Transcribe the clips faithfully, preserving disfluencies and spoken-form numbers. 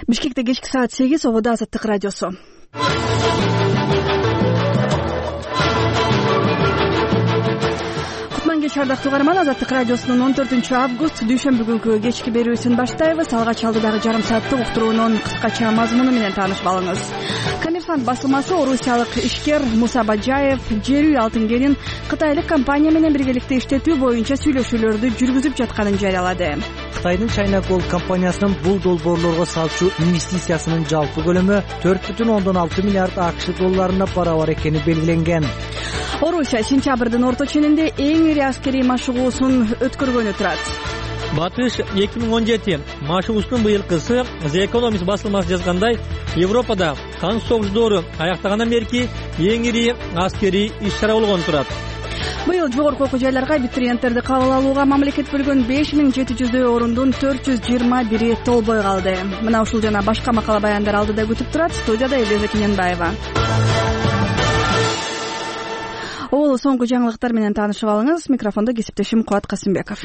Бишкекте кечки саат сегиз, обода Азаттык радиосу. Кутман кеч ардактуу угарман, Азаттык радиосунун он төртүнчү август дүйшөмбү күнкү кечки берүүсүн баштайбыз. Алгач алдыдагы жарым сааттык уктуруунун кыскача мазмуну менен таанышып алыңыз. Коммерсант басылмасы орусиялык ишкер Муса Баджаев жер үй алтын кенин кытайлык компания менен биргеликте иштетүү боюнча сүйлөшүүлөрдү жүргүзүп жатканын жарыялады. Кытайдын China Gold компаниясынын бул долбоорлорго салчу инвестициясынын жалпы көлөмү төрт бүтүн ондон алты миллиард акш долларына барабар экени белгиленген. Орусия сентябрдын орто ченинде эң ири аскерий машыгуусун өткөргөнү турат. Батыш эки миң он жети машыгуусунун быйылкысы The Economist басылмасы жазгандай, Европада кан согуштоору аяктагандан берки эң ири аскерий иш-чара болгону турат. Быйыл жогорку окуу жайларга абитуриенттерди кабыл алууга мамлекет бөлгөн беш миң жети жүздөй орундун төрт жүз жыйырма бири толбой калды. Мына ушул жана башка макала баяндар алдыда күтүп турат. Студияда Элиза Кененбаева. Ол соңку жаңылыктар менен таанышып алыңыз. Микрофондо кесиптешим Кубат Касымбеков.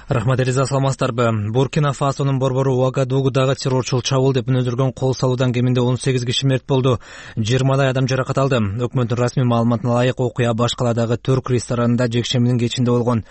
Рахмат Элиза, саламатсыздарбы? Буркина Фасонун борбору Уагадугудагы террорчул чабуул деп мүнөздөргөн кол салуудан кеминде он сегиз киши мерт болду. жыйырмадай адам жаракат алды. Өкмөттүн расмий маалыматына ылайык окуя башкаладагы Түрк ресторанында жекшембинин кечинде болгон.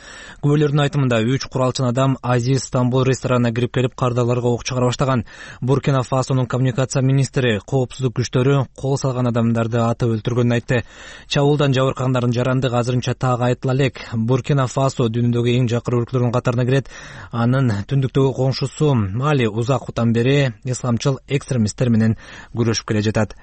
Күбөлөрдүн айтымында үч куралчан адам Азиз Стамбул ресторанына кирип келип кардарларга ок чыгара баштаган. Буркина Фасонун коммуникация министри коопсуздук күчтөрү кол салган адамдарды атып өлтүргөнүн айтты. Чабуулдан жабыркагандардын жарандыгы азырынча так айтыла элек. Буркина Фасо дүйнөдөгү эң жакыр өлкөлөрдүн катарына кирет. Анын түндүктөгү коңшусу Мали узак утан бери исламчыл экстремисттер менен күрөшүп келе жатат.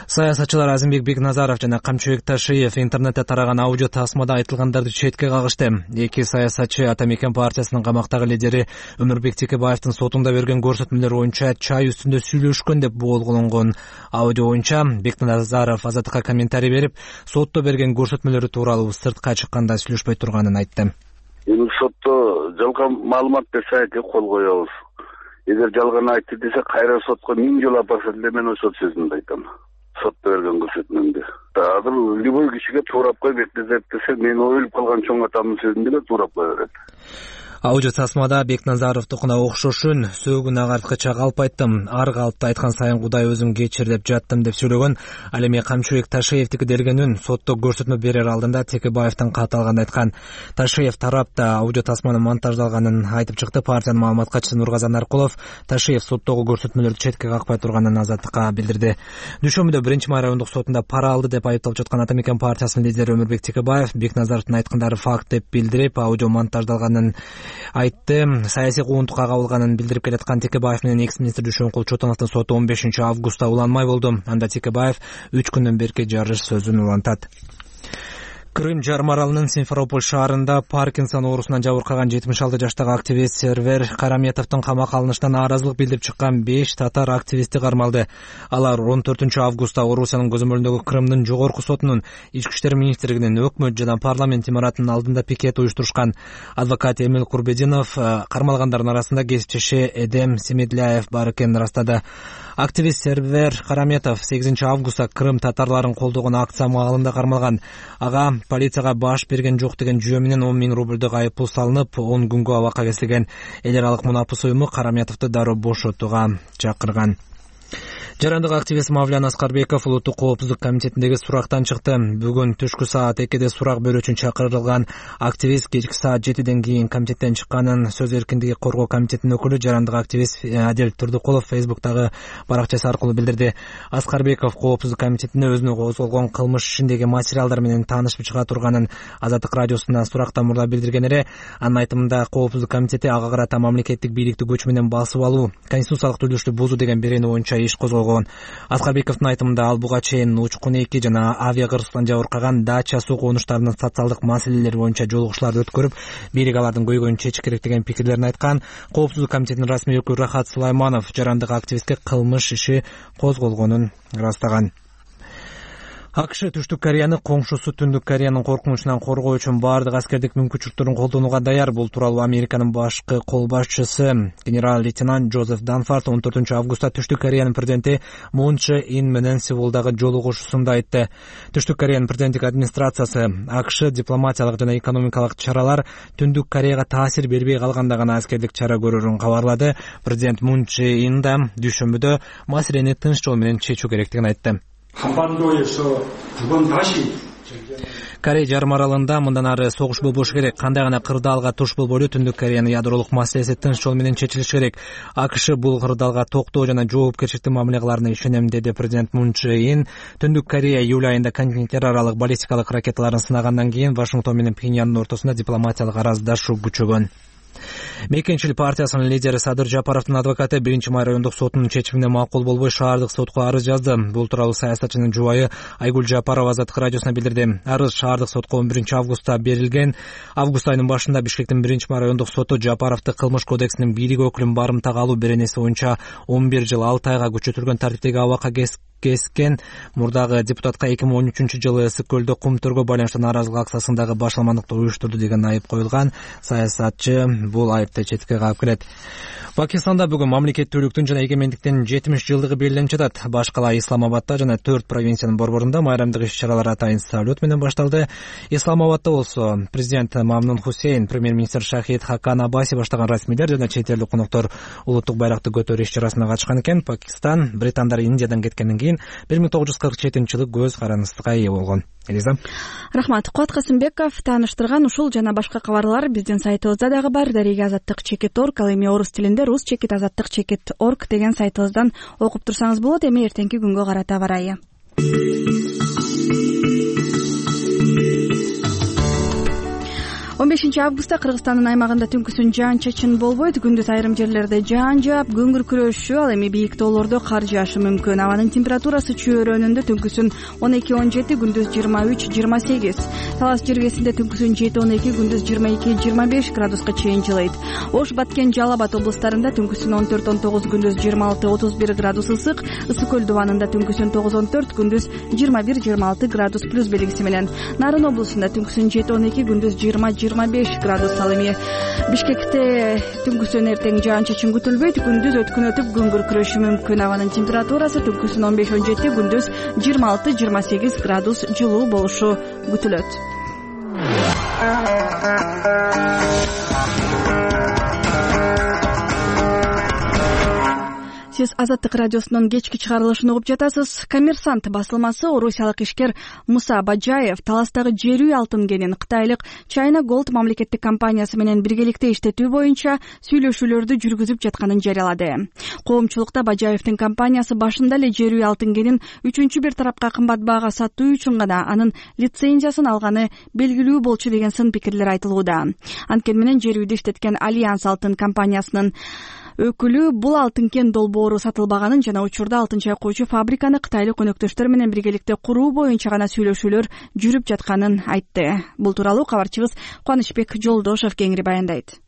Саясатчылар Азимбек Бекназаров жана Камчыбек Ташиев интернетте тараган аудио тасмада айтылгандарды четке кагышты. Эки саясатчы Ата Мекен партиясынын камактагы лидери Өмүрбек Текебаевдин сотунда берген көрсөтмөлөр боюнча чай үстүндө сүйлөшкөн деп боолголонгон аудио боюнча Бекназаров Азаттыкка комментарий берип, сотто берген көрсөтмөлөрү тууралуу сыртка чыкканда сүйлөшпөй турганын айтты. Эми сотто жалган маалымат берсе кол коебуз. Эгер жалган айтты десе кайра сотко миң жолу апарса деле мен ошол сөзүмдү айтам. Сотто берген көрсөтмөмдү. Азыр любой кишиге туурап кой Бекназаров десе мен өлүп калган чоң атамдын сөзүн деле туурап кое берет. Аудио тасмада Бекназаровдукуна окшошун сөөгүн агарткыча калп айттым. Ар калпты айткан сайын Кудай өзүм кечир деп жаттым деп сүйлөгөн. Ал эми Камчыбек Ташиевдики делгенин сотто көрсөтмө берер алдында Текебаевдин каты алганын айткан. Ташиев тарапта аудио тасманын монтаждалганын айтып чыкты. Партиянын маалымат катчысы Нургазан Аркулов Ташиев соттогу көрсөтмөлөрдү четке какпай турганын Азаттыкка билдирди. Дүйшөмбүдө биринчи май райондук сотунда пара алды деп айыпталып жаткан Ата Мекен партиясынын лидери Өмүрбек Текебаев Бекназаровдун айткандары факт деп билдирип, аудио монтаждалганын айтты. Саясий куугунтукка кабылганын билдирип келаткан Текебаев менен экс-министр Дүйшөнкул Чотоновдун соту он бешинчи августта уланмай болду. Анда Текебаев үч күндөн берки жарыш сөзүн улантат. Крым жарым аралынын Симферополь шаарында Паркинсон оорусунан жабыркаган жетимиш алты жаштагы активист Сервер Караметовдун камакка алынышынан нааразылык билдирип чыккан беш татар активисти кармалды. Алар он төртүнчү августта Орусиянын көзөмөлүндөгү Крымдын жогорку сотунун, Ички иштер министрлигинин, өкмөт жана парламент имаратынын алдында пикет уюштурушкан. Адвокат Эмил Курбединов кармалгандардын арасында кесипчиши Эдем Семедляев бар экенин ырастады. Активист Сервер Караметов сегизинчи августта Крым татарларын колдогон акция маалында кармалган. Ага полицияга баш берген жок деген жүйө менен он миң рубльдук айыппул салынып, он күнгө абакка кесилген. Эл аралык мунапыс уюму Караметовду дароо бошотууга чакырган. Жарандык активист Мавлян Аскарбеков Улуттук коопсуздук комитетиндеги сурактан чыкты. Бүгүн түшкү саат экиде сурак берүү үчүн чакырылган активист кечки саат жетиден кийин комитеттен чыкканын сөз эркиндиги коргоо комитетинин өкүлү жарандык активист Адил Турдукулов Фейсбуктагы баракчасы аркылуу билдирди. Аскарбеков коопсуздук комитетине өзүнө козголгон кылмыш ишиндеги материалдар менен таанышып чыга турганын Азаттык радиосуна сурактан мурда билдирген эле. Анын айтымында коопсуздук комитети ага карата мамлекеттик бийликти күч менен басып алуу, конституциялык түзүлүштү бузуу деген берени боюнча иш козголгон. Аскарбековдун айтымында ал буга чейин учкун эки жана авиа кырсыктан жабыркаган дача суу конуштарынын социалдык маселелери боюнча жолугушууларды өткөрүп, бийлик алардын көйгөйүн чечиш керек деген пикирлерин айткан. Коопсуздук комитетинин расмий өкүлү Рахат Сулайманов жарандык активистке кылмыш иши козголгонун ырастаган. АКШ Түштүк Кореяны коңшусу Түндүк Кореянын коркунучунан коргоо үчүн баардык аскердик мүмкүнчүлүктөрүн колдонууга даяр. Бул тууралуу Американын башкы кол башчысы генерал-лейтенант Джозеф Данфорд он төртүнчү августта Түштүк Кореянын президенти Мун Чже Ин менен Сеулдагы жолугушуусунда айтты. Түштүк Кореянын президенттик администрациясы АКШ дипломатиялык жана экономикалык чаралар Түндүк Кореяга таасир бербей калганда гана аскердик чара көрөрүн кабарлады. Президент Мун Чже Ин да дүйшөмбүдө маселени тынч жол менен чечүү керектигин айтты. Корей жарым аралында мындан ары согуш болбошу керек. Кандай гана кырдаалга туш болбойлу Түндүк Кореянын ядролук маселеси тынч жол менен чечилиши керек. АКШ бул кырдаалга токтоо жана жоопкерчиликтүү мамиле кыларына ишенем, деди президент Мун Чже Ин. Түндүк Корея июль айында континенттер аралык баллистикалык ракеталарын сынагандан кийин Вашингтон менен Пхеньяндын ортосунда дипломатиялык араздашуу күчөгөн. Мекенчил партиясынын лидери Садыр Жапаровдун адвокаты биринчи май райондук сотунун чечимине макул болбой шаардык сотко арыз жазды. Бул тууралуу саясатчынын жубайы Айгүл Жапарова Азаттык радиосуна билдирди. Арыз шаардык сотко он биринчи августта берилген. Август айынын башында Бишкектин биринчи май райондук соту Жапаровду кылмыш кодексинин бирик өкүлүн барымтага алуу беренеси боюнча он бир жыл алты айга күчөтүлгөн тартиптеги абакка кескен мурдагы депутатка эки миң он үчүнчү жылы ысык көлдө кум төргө байланыштуу нааразылык акциясындагы башаламандыкты уюштурду деген айып коюлган. Саясатчы бул айыпты четке каап келет. Пакистанда бүгүн мамлекеттүүлүктүн жана эгемендиктин жетимиш жылдыгы белгиленип жатат. Баш кала Исламабадда жана төрт провинциянын борборунда майрамдык иш-чаралар атайын салют менен башталды. Исламабадда болсо президент Мамнун Хусейн, премьер-министр Шахид Хакан Абаси баштаган расмийлер жана чет элдик коноктор улуттук байракты көтөрүү иш-чарасына катышкан экен. Пакистан британдар Индиядан кеткенден кийин бир миң тогуз жүз кырк жетинчи жылы көз карандысыкка ээ болгон. Элиза. Рахмат. Куат Касымбеков тааныштырган ушул жана башка кабарлар биздин сайтыбызда дагы бар. Дареги азаттык чекит орг, ал эми орус тилинде рус чекит азаттык чекит орг деген сайтыбыздан окуп турсаңыз болот. Эми эртеңки күнгө карата барайы. он бешинчи августта Кыргызстандын аймагында түнкүсүн жаан-чачын болбойт. Күндүз айрым жерлерде жаан жаап, көңүр күрөшүү, ал эми бийик тоолордо кар жаашы мүмкүн. Абанын температурасы чөйрөнүндө түнкүсүн он эки он жети, күндүз жыйырма үч жыйырма сегиз. Талас жергесинде түнкүсүн жети он эки, күндүз жыйырма эки жыйырма беш градуска чейин жылыйт. Ош, Баткен, Жалал Абад облустарында түнкүсүн он төрт он тогуз, күндүз жыйырма алты отуз бир градус ысык. Ысык көл дубанында түнкүсүн тогуз он төрт, күндүз жыйырма бир жыйырма алты градус плюс белгиси менен. Нарын облусунда түнкүсүн жети он эки, күндүз жыйырма жыйырма беш градус. Ал эми Бишкекте түнкүсүн эртең жаан-чачын күтүлбөйт. Күндүз өткүнөтүп көңүр күрөшү мүмкүн. Абанын температурасы түнкүсүн он беш он жети, күндүз жыйырма алты жыйырма сегиз градус жылуу болушу күтүлөт. Сиз Азаттык радиосунун кечки чыгарылышын угуп жатасыз. Коммерсант басылмасы орусиялык ишкер Муса Бажаев таластагы жер үй алтын кенин кытайлык China Gold мамлекеттик компаниясы менен биргеликте иштетүү боюнча сүйлөшүүлөрдү жүргүзүп жатканын жарыялады. Коомчулукта Бажаевдин компаниясы башында эле жер үй алтын кенин үчүнчү бир тарапка кымбат баага сатуу үчүн гана анын лицензиясын алганы белгилүү болчу деген сын пикирлер айтылууда. Анткени менен жер үйдү иштеткен Альянс алтын компаниясынын өкүлү бул алтын кен долбоору сатылбаганын жана учурда алтын чайкоочу фабриканы кытайлык өнөктөштөр менен биргеликте куруу боюнча гана сүйлөшүүлөр жүрүп жатканын айтты. Бул тууралуу кабарчыбыз Кубанычбек Жолдошов кеңири баяндайт.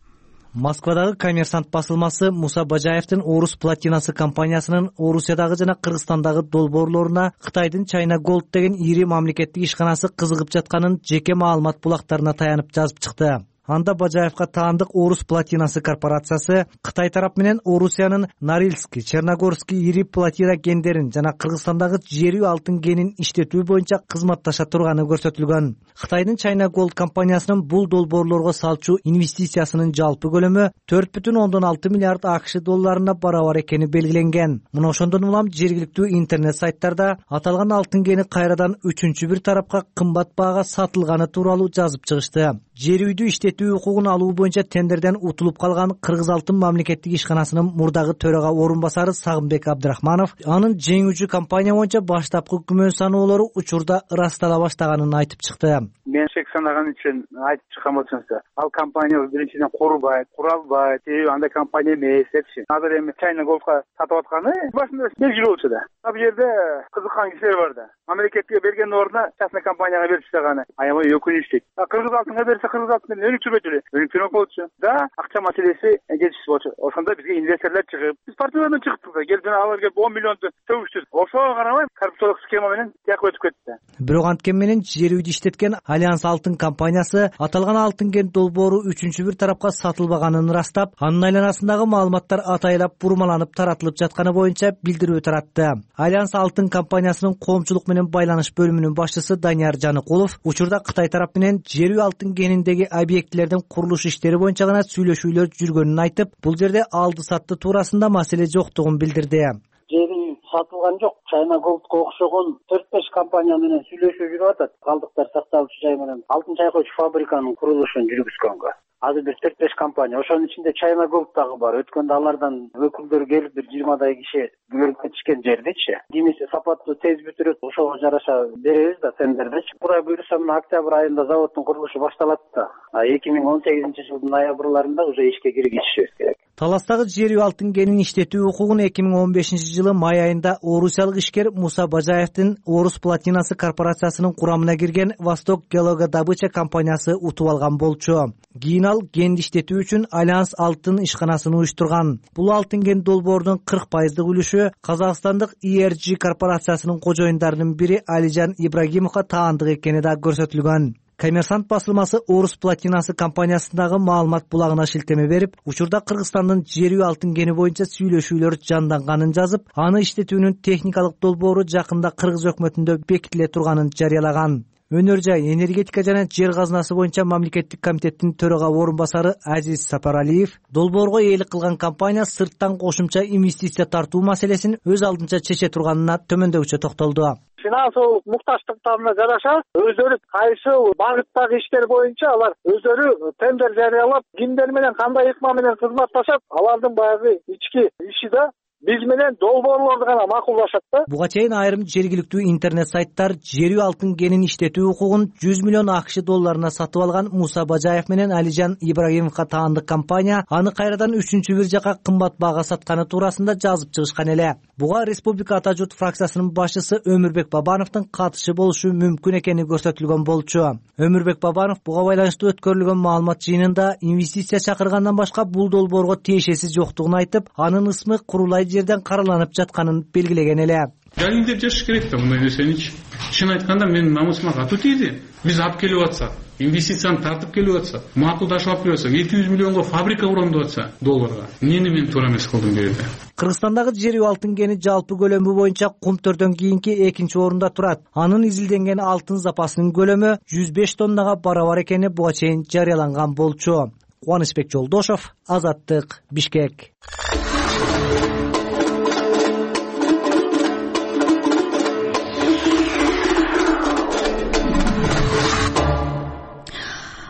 Москвадагы Коммерсант басылмасы Муса Бажаевдин Орус платинасы компаниясынын Орусиядагы жана Кыргызстандагы долбоорлоруна Кытайдын China Gold деген ири мамлекеттик ишканасы кызыгып жатканын жеке маалымат булактарына таянып жазып чыкты. Анда Бажаевка таандык Орус платинасы корпорациясы Кытай тарап менен Орусиянын Норильский, Черногорский ири платина кендерин жана Кыргызстандагы жер үй алтын кенин иштетүү боюнча кызматташа турганы көрсөтүлгөн. Кытайдын China Gold компаниясынын бул долбоорлорго салчу инвестициясынын жалпы көлөмү төрт бүтүн ондон алты миллиард АКШ долларына барабар экени белгиленген. Мына ошондон улам жергиликтүү интернет сайттарда аталган алтын кени кайрадан үчүнчү бир тарапка кымбат баага сатылганы тууралуу жазып чыгышты. Жер үйдү иштетүү укугун алуу боюнча тендерден утулуп калган Кыргыз алтын мамлекеттик ишканасынын мурдагы төрага орун басары Сагынбек Абдрахманов анын жеңүүчү компания боюнча баштапкы күмөн саноолору учурда ырастала баштаганын айтып чыкты. Мен шек санаган үчүн айтып чыккан болсоңуздар, ал компания биринчиден курбайт, куралбайт, андай компания эмес депчи. Азыр эми China Gold'га сатып атканы башында белгилүү болчу да. Ал жерде кызыккан кишилер бар да. Мамлекетке берген ордуна частный компанияга берип тастаганы аябай өкүнүчтүү. Кыргыз алтынга берсе Кыргыз алтын менен өнүктүрбөйт эле. Өнүктүрөк болчу. Да, акча маселеси жетишсиз болчу. Ошондо бизге инвесторлор чыгып, биз партиядан чыктык да, келди алар келип он миллионду төгүштү. Ошого карабай коррупциялык схема менен тияк өтүп кетти. Бирок анткени менен жер үйдү иштеткен Альянс Алтын компаниясы аталган алтын кен долбоору үчүнчү бир тарапка сатылбаганын ырастап, анын айланасындагы маалыматтар атайлап бурмаланып таратылып жатканы боюнча билдирүү таратты. Альянс Алтын компаниясынын коомчулук менен байланыш бөлүмүнүн башчысы Данияр Жаныкулов учурда Кытай тарап менен жер үй алтын кениндеги объектилердин курулуш иштери боюнча гана сүйлөшүүлөр жүргөнүн айтып, бул жерде алды-сатты туурасында маселе жоктугун билдирди. Жер үй сатылган жок. China Gold'га окшогон төрт беш компания менен сүйлөшүү жүрүп атат. Калдыктар сакталуучу жай менен алтын чайкоочу фабриканын курулушун жүргүзгөнгө. Азыр бир төрт беш компания, ошонун ичинде China Gold дагы бар. Өткөндө алардан өкүлдөр келип бир жыйырмадай киши көрүп кетишкен жердичи. Кимиси сапаттуу тез бүтүрөт, ошого жараша беребиз да тендердечи. Кудай буйруса мына октябрь айында заводдун курулушу башталат да. эки миң он сегизинчи жылдын ноябрларында уже ишке киргизишибиз керек. Таластагы жер үй алтын кенин иштетүү укугун эки миң он бешинчи жылы май айында орусиялык ишкер Муса Бажаевдин Орус платинасы корпорациясынын курамына кирген Восток Геологодобыча компаниясы утуп алган болчу. Кийин ал кенди иштетүү үчүн Альянс Алтын ишканасын уюштурган. Бул алтын кен долбоордун кырк пайыздык үлүшү казакстандык и эр джи корпорациясынын кожоюндарынын бири Алижан Ибрагимовго таандык экени да көрсөтүлгөн. Коммерсант басылмасы Орус платинасы компаниясындагы маалымат булагына шилтеме берип, учурда Кыргызстандын жер үй алтын кени боюнча сүйлөшүүлөр жанданганын жазып, аны иштетүүнүн техникалык долбоору жакында Кыргыз өкмөтүндө бекитиле турганын жарыялаган. Өнөр жай, энергетика жана жер казынасы боюнча мамлекеттик комитеттин төрага орун басары Азиз Сапаралиев долбоорго ээлик кылган компания сырттан кошумча инвестиция тартуу маселесин өз алдынча чече турганына төмөндөгүчө токтолду. Финансылык мукташтыктарына жараша өздөрү кайсыл багыттагы иштер боюнча алар өздөрү тендер жарыялап, кимдер менен кандай ыкма менен кызматташат, алардын баягы ички иши да биз менен долбоорлорду гана макулдашат да. Буга чейин айрым жергиликтүү интернет сайттар жер үй алтын кенин иштетүү укугун жүз миллион акш долларына сатып алган Муса Бажаев менен Алижан Ибрагимовго таандык компания аны кайрадан үчүнчү бир жака кымбат баага сатканы туурасында жазып чыгышкан эле. Буга Республика Ата журт фракциясынын башчысы Өмүрбек Бабановдун катышы болушу мүмкүн экени көрсөтүлгөн болчу. Өмүрбек Бабанов буга байланыштуу өткөрүлгөн маалымат жыйынында инвестиция чакыргандан башка бул долбоорго тиешеси жоктугун айтып, анын ысмы курулай жерден караланып жатканын белгилеген эле. Жалин деп жашаш керек да мындай нерсеничи. Чын айтканда менин намысыма катуу тийди. Биз алып келип атсак, инвестицияны тартып келип атсак, макулдашып алып келип атсак, эки жүз миллионго фабрика курам деп атса долларга. Эмнени мен туура эмес кылдым бу жерде? Кыргызстандагы жер үй алтын кени жалпы көлөмү боюнча Кумтөрдөн кийинки экинчи орунда турат. Анын изилденген алтын запасынын көлөмү жүз беш тоннага барабар экени буга чейин жарыяланган болчу. Кубанычбек Жолдошов, Азаттык, Бишкек.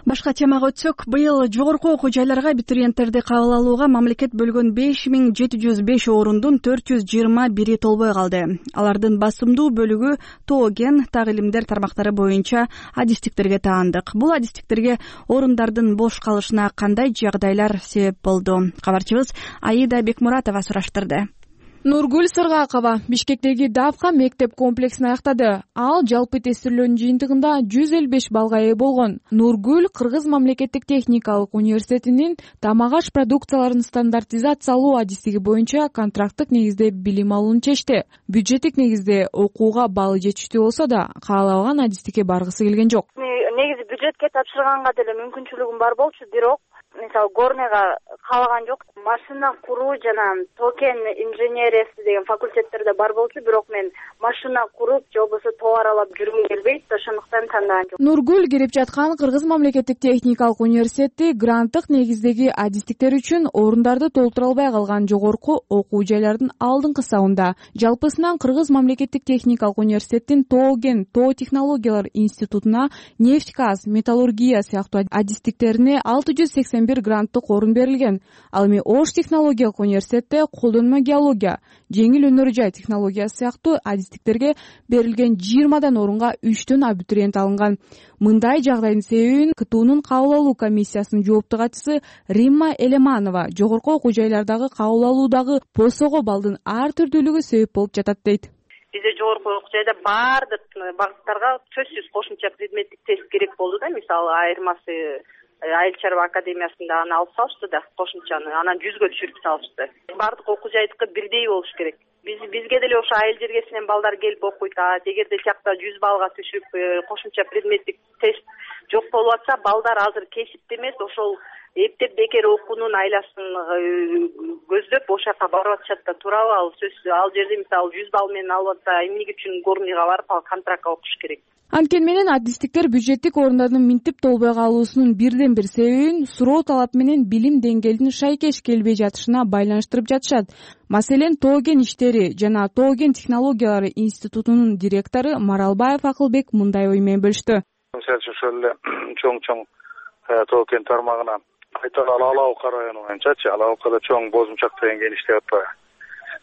Башка темага өтсөк, быйыл жогорку окуу жайларга абитуриенттерди кабыл алууга мамлекет бөлгөн беш миң жети жүз беш орундун төрт жүз жыйырма бири толбой калды. Алардын басымдуу бөлүгү тоо кен, так илимдер тармактары боюнча адистиктерге таандык. Бул адистиктерге орундардын бош калышына кандай жагдайлар себеп болду? Кабарчыбыз Аида Бекмуратова сураштырды. Нургүл Сыргакова Бишкектеги Давка мектеп комплексин аяктады. Ал жалпы тестирлөөнүн жыйынтыгында жүз элүү беш балга ээ болгон. Нургүл Кыргыз мамлекеттик техникалык университетинин тамак аш продукцияларын стандартизациялоо адистиги боюнча контракттык негизде билим алууну чечти. Бюджеттик негизде окууга баалы жетиштүү болсо да, каалабаган адистикке баргысы келген жок. Негизи бюджетке тапшырганга деле мүмкүнчүлүгүм бар болчу, бирок мисалы горныйга каалаган жок. Машина куруу жана токен инженериясы деген факультеттерде бар болчу, бирок мен машина куруп же болбосо тоо аралап жүргүм келбейт, ошондуктан тандаган жок. Нургүл кирип жаткан Кыргыз мамлекеттик техникалык университети гранттык негиздеги адистиктер үчүн орундарды толтура албай калган жогорку окуу жайлардын алдыңкы сабында. Жалпысынан Кыргыз мамлекеттик техникалык университеттин тоо кен, тоо технологиялар институтуна нефть газ, металлургия сыяктуу адистиктерине алты жүз сексен бир гранттык орун берилген. Ал эми Ош технологиялык университетте колдонмо геология, жеңил өнөр жай технологиясы сыяктуу адистиктерге берилген жыйырмадан орунга үчтөн абитуриент алынган. Мындай жагдайдын себебин КТУнун кабыл алуу комиссиясынын жоопту катчысы Римма Элеманова жогорку окуу жайлардагы кабыл алуудагы посого балдын ар түрдүүлүгү себеп болуп жатат дейт. Бизде жогорку окуу жайда баардык багыттарга сөзсүз кошумча предметтик тест керек болду да. Мисалы айырмасы Айыл чарба академиясында аны алып салышты да, кошумчаны анан жүзгө түшүрүп салышты. Баардык окуу жайдыкы бирдей болуш керек. биз бизге деле ошо айыл жергесинен балдар келип окуйт. А эгерде тиякта жүз баллга түшүп кошумча предметтик тест жок болуп атса, балдар азыр кесипти эмес, ошол эптеп бекер окуунун айласын көздөп ошол жака барып атышат да, туурабы? Ал сөз, ал жерде мисалы жүз балл менен алып атса, эмне үчүн Горныйга барып ал контрактка окуш керек? Анткени менен адистиктер бюджеттик орундардын минтип толбой калуусунун бирден бир себебин суроо талап менен билим деңгээлинин шайкеш келбей жатышына байланыштырып жатышат. Маселен, Тоо кен иштери жана Тоо кен технологиялары институтунун директору Маралбаев Акылбек мындай ой менен бөлүштү. Мисалы үчүн ошол эле чоң-чоң Тоо кен тармагына айталы Ала Ока району боюнчачы, Ала Окада чоң Бозумчак деген кен иштеп атпайбы?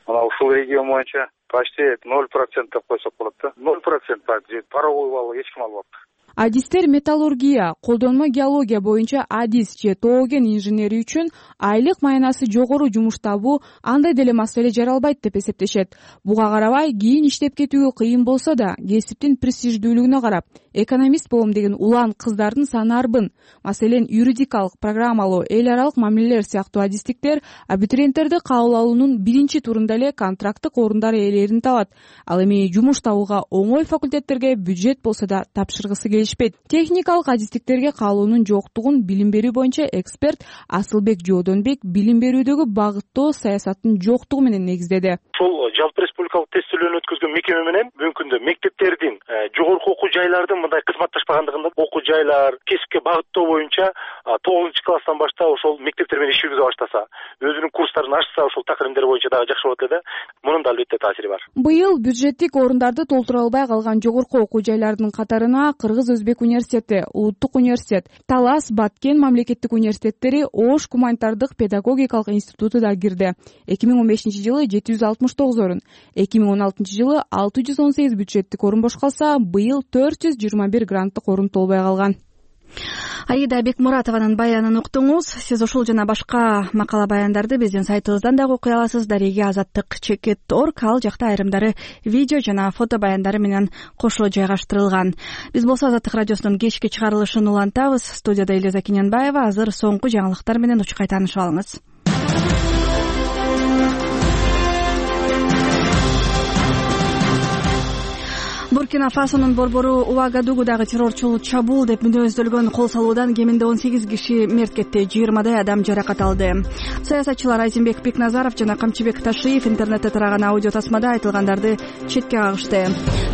Мына ушул регион боюнча почти ноль процент деп койсок болот да. ноль процент паровой балл эч ким албапты. Адистер металлургия, колдонмо геология боюнча адис же Тоо кен инженери үчүн айлык маянасы жогору жумуш табуу андай деле маселе жаралбайт деп эсептешет. Буга карабай, кийин иштеп кетүүгө кыйын болсо да, кесиптин престиждүүлүгүнө карап, экономист болом деген улан кыздардын саны арбын. Маселен, юридикалык, программалоо, эл аралык мамилелер сыяктуу адистиктер абитуриенттерди кабыл алуунун биринчи турунда эле контракттык орундар ээлерин табат. Ал эми жумуш табууга оңой факультеттерге бюджет болсо да тапшыргысы келишпейт. Техникалык адистиктерге кабылуунун жоктугун билим берүү боюнча эксперт Асылбек Жоодонбек билим берүүдөгү багыттоо саясаттын жоктугу менен негиздеди. Ушул жалпы республикалык тестөөлөрүн өткөзгөн мекеме менен бүгүнкү күндө мектептердин, жогорку окуу жайлардын мындай кызматташпагандыгында окуу жайлар кесипке багыттоо боюнча тогузунчу класстан баштап ошол мектептер менен иш жүргүзө баштаса, өзүнүн курстарын ачса, ошол такырымдер боюнча дагы жакшы болот эле. Мунун да албетте таасири бар. Быйыл бюджеттик орундарды толтура албай калган жогорку окуу жайлардын катарына Кыргыз Өзбек университети, Улуттук университет, Талас, Баткен мамлекеттик университеттери, Ош гуманитардык педагогикалык институту да кирди. эки миң он бешинчи жылы жети жүз алтымыш тогуз орун, эки миң он алтынчы жылы алты жүз он сегиз бюджеттик орун бош калса, быйыл төрт жүз жыйырма бир гранттык орун толбой калган. Аида Бекмуратованын баянын уктуңуз. Сиз ушул жана башка макала баяндарды биздин сайтыбыздан дагы окуй аласыз. Дареги азаттык чекит точка орг. Ал жакта айрымдары видео жана фото баяндары менен кошо жайгаштырылган. Биз болсо Азаттык радиосунун кечки чыгарылышын улантабыз. Студияда Элиза Кененбаева. Азыр соңку жаңылыктар менен учкай таанышып алыңыз. Буркина-Фасонун борбору Уагадугудагы террорчул чабуул деп мүнөздөлгөн кол салуудан кеминде он сегиз киши мерт кетти, жыйырмадай адам жаракат алды. Саясатчылар Айзенбек Бекназаров жана Камчыбек Ташиев интернетте тараган аудио тасмада айтылгандарды четке кагышты.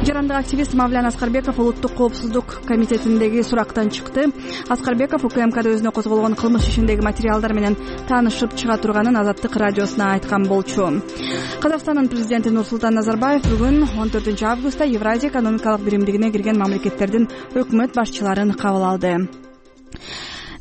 Жарандык активист Мавлян Аскарбеков Улуттук коопсуздук комитетиндеги сурактан чыкты. Аскарбеков УКМКда өзүнө козголгон кылмыш ишиндеги материалдар менен таанышып чыга турганын Азаттык радиосуна айткан болчу. Казакстандын президенти Нурсултан Назарбаев бүгүн он төртүнчү августта Евразия экономикалык биримдигине кирген мамлекеттердин өкмөт башчыларын кабыл алды.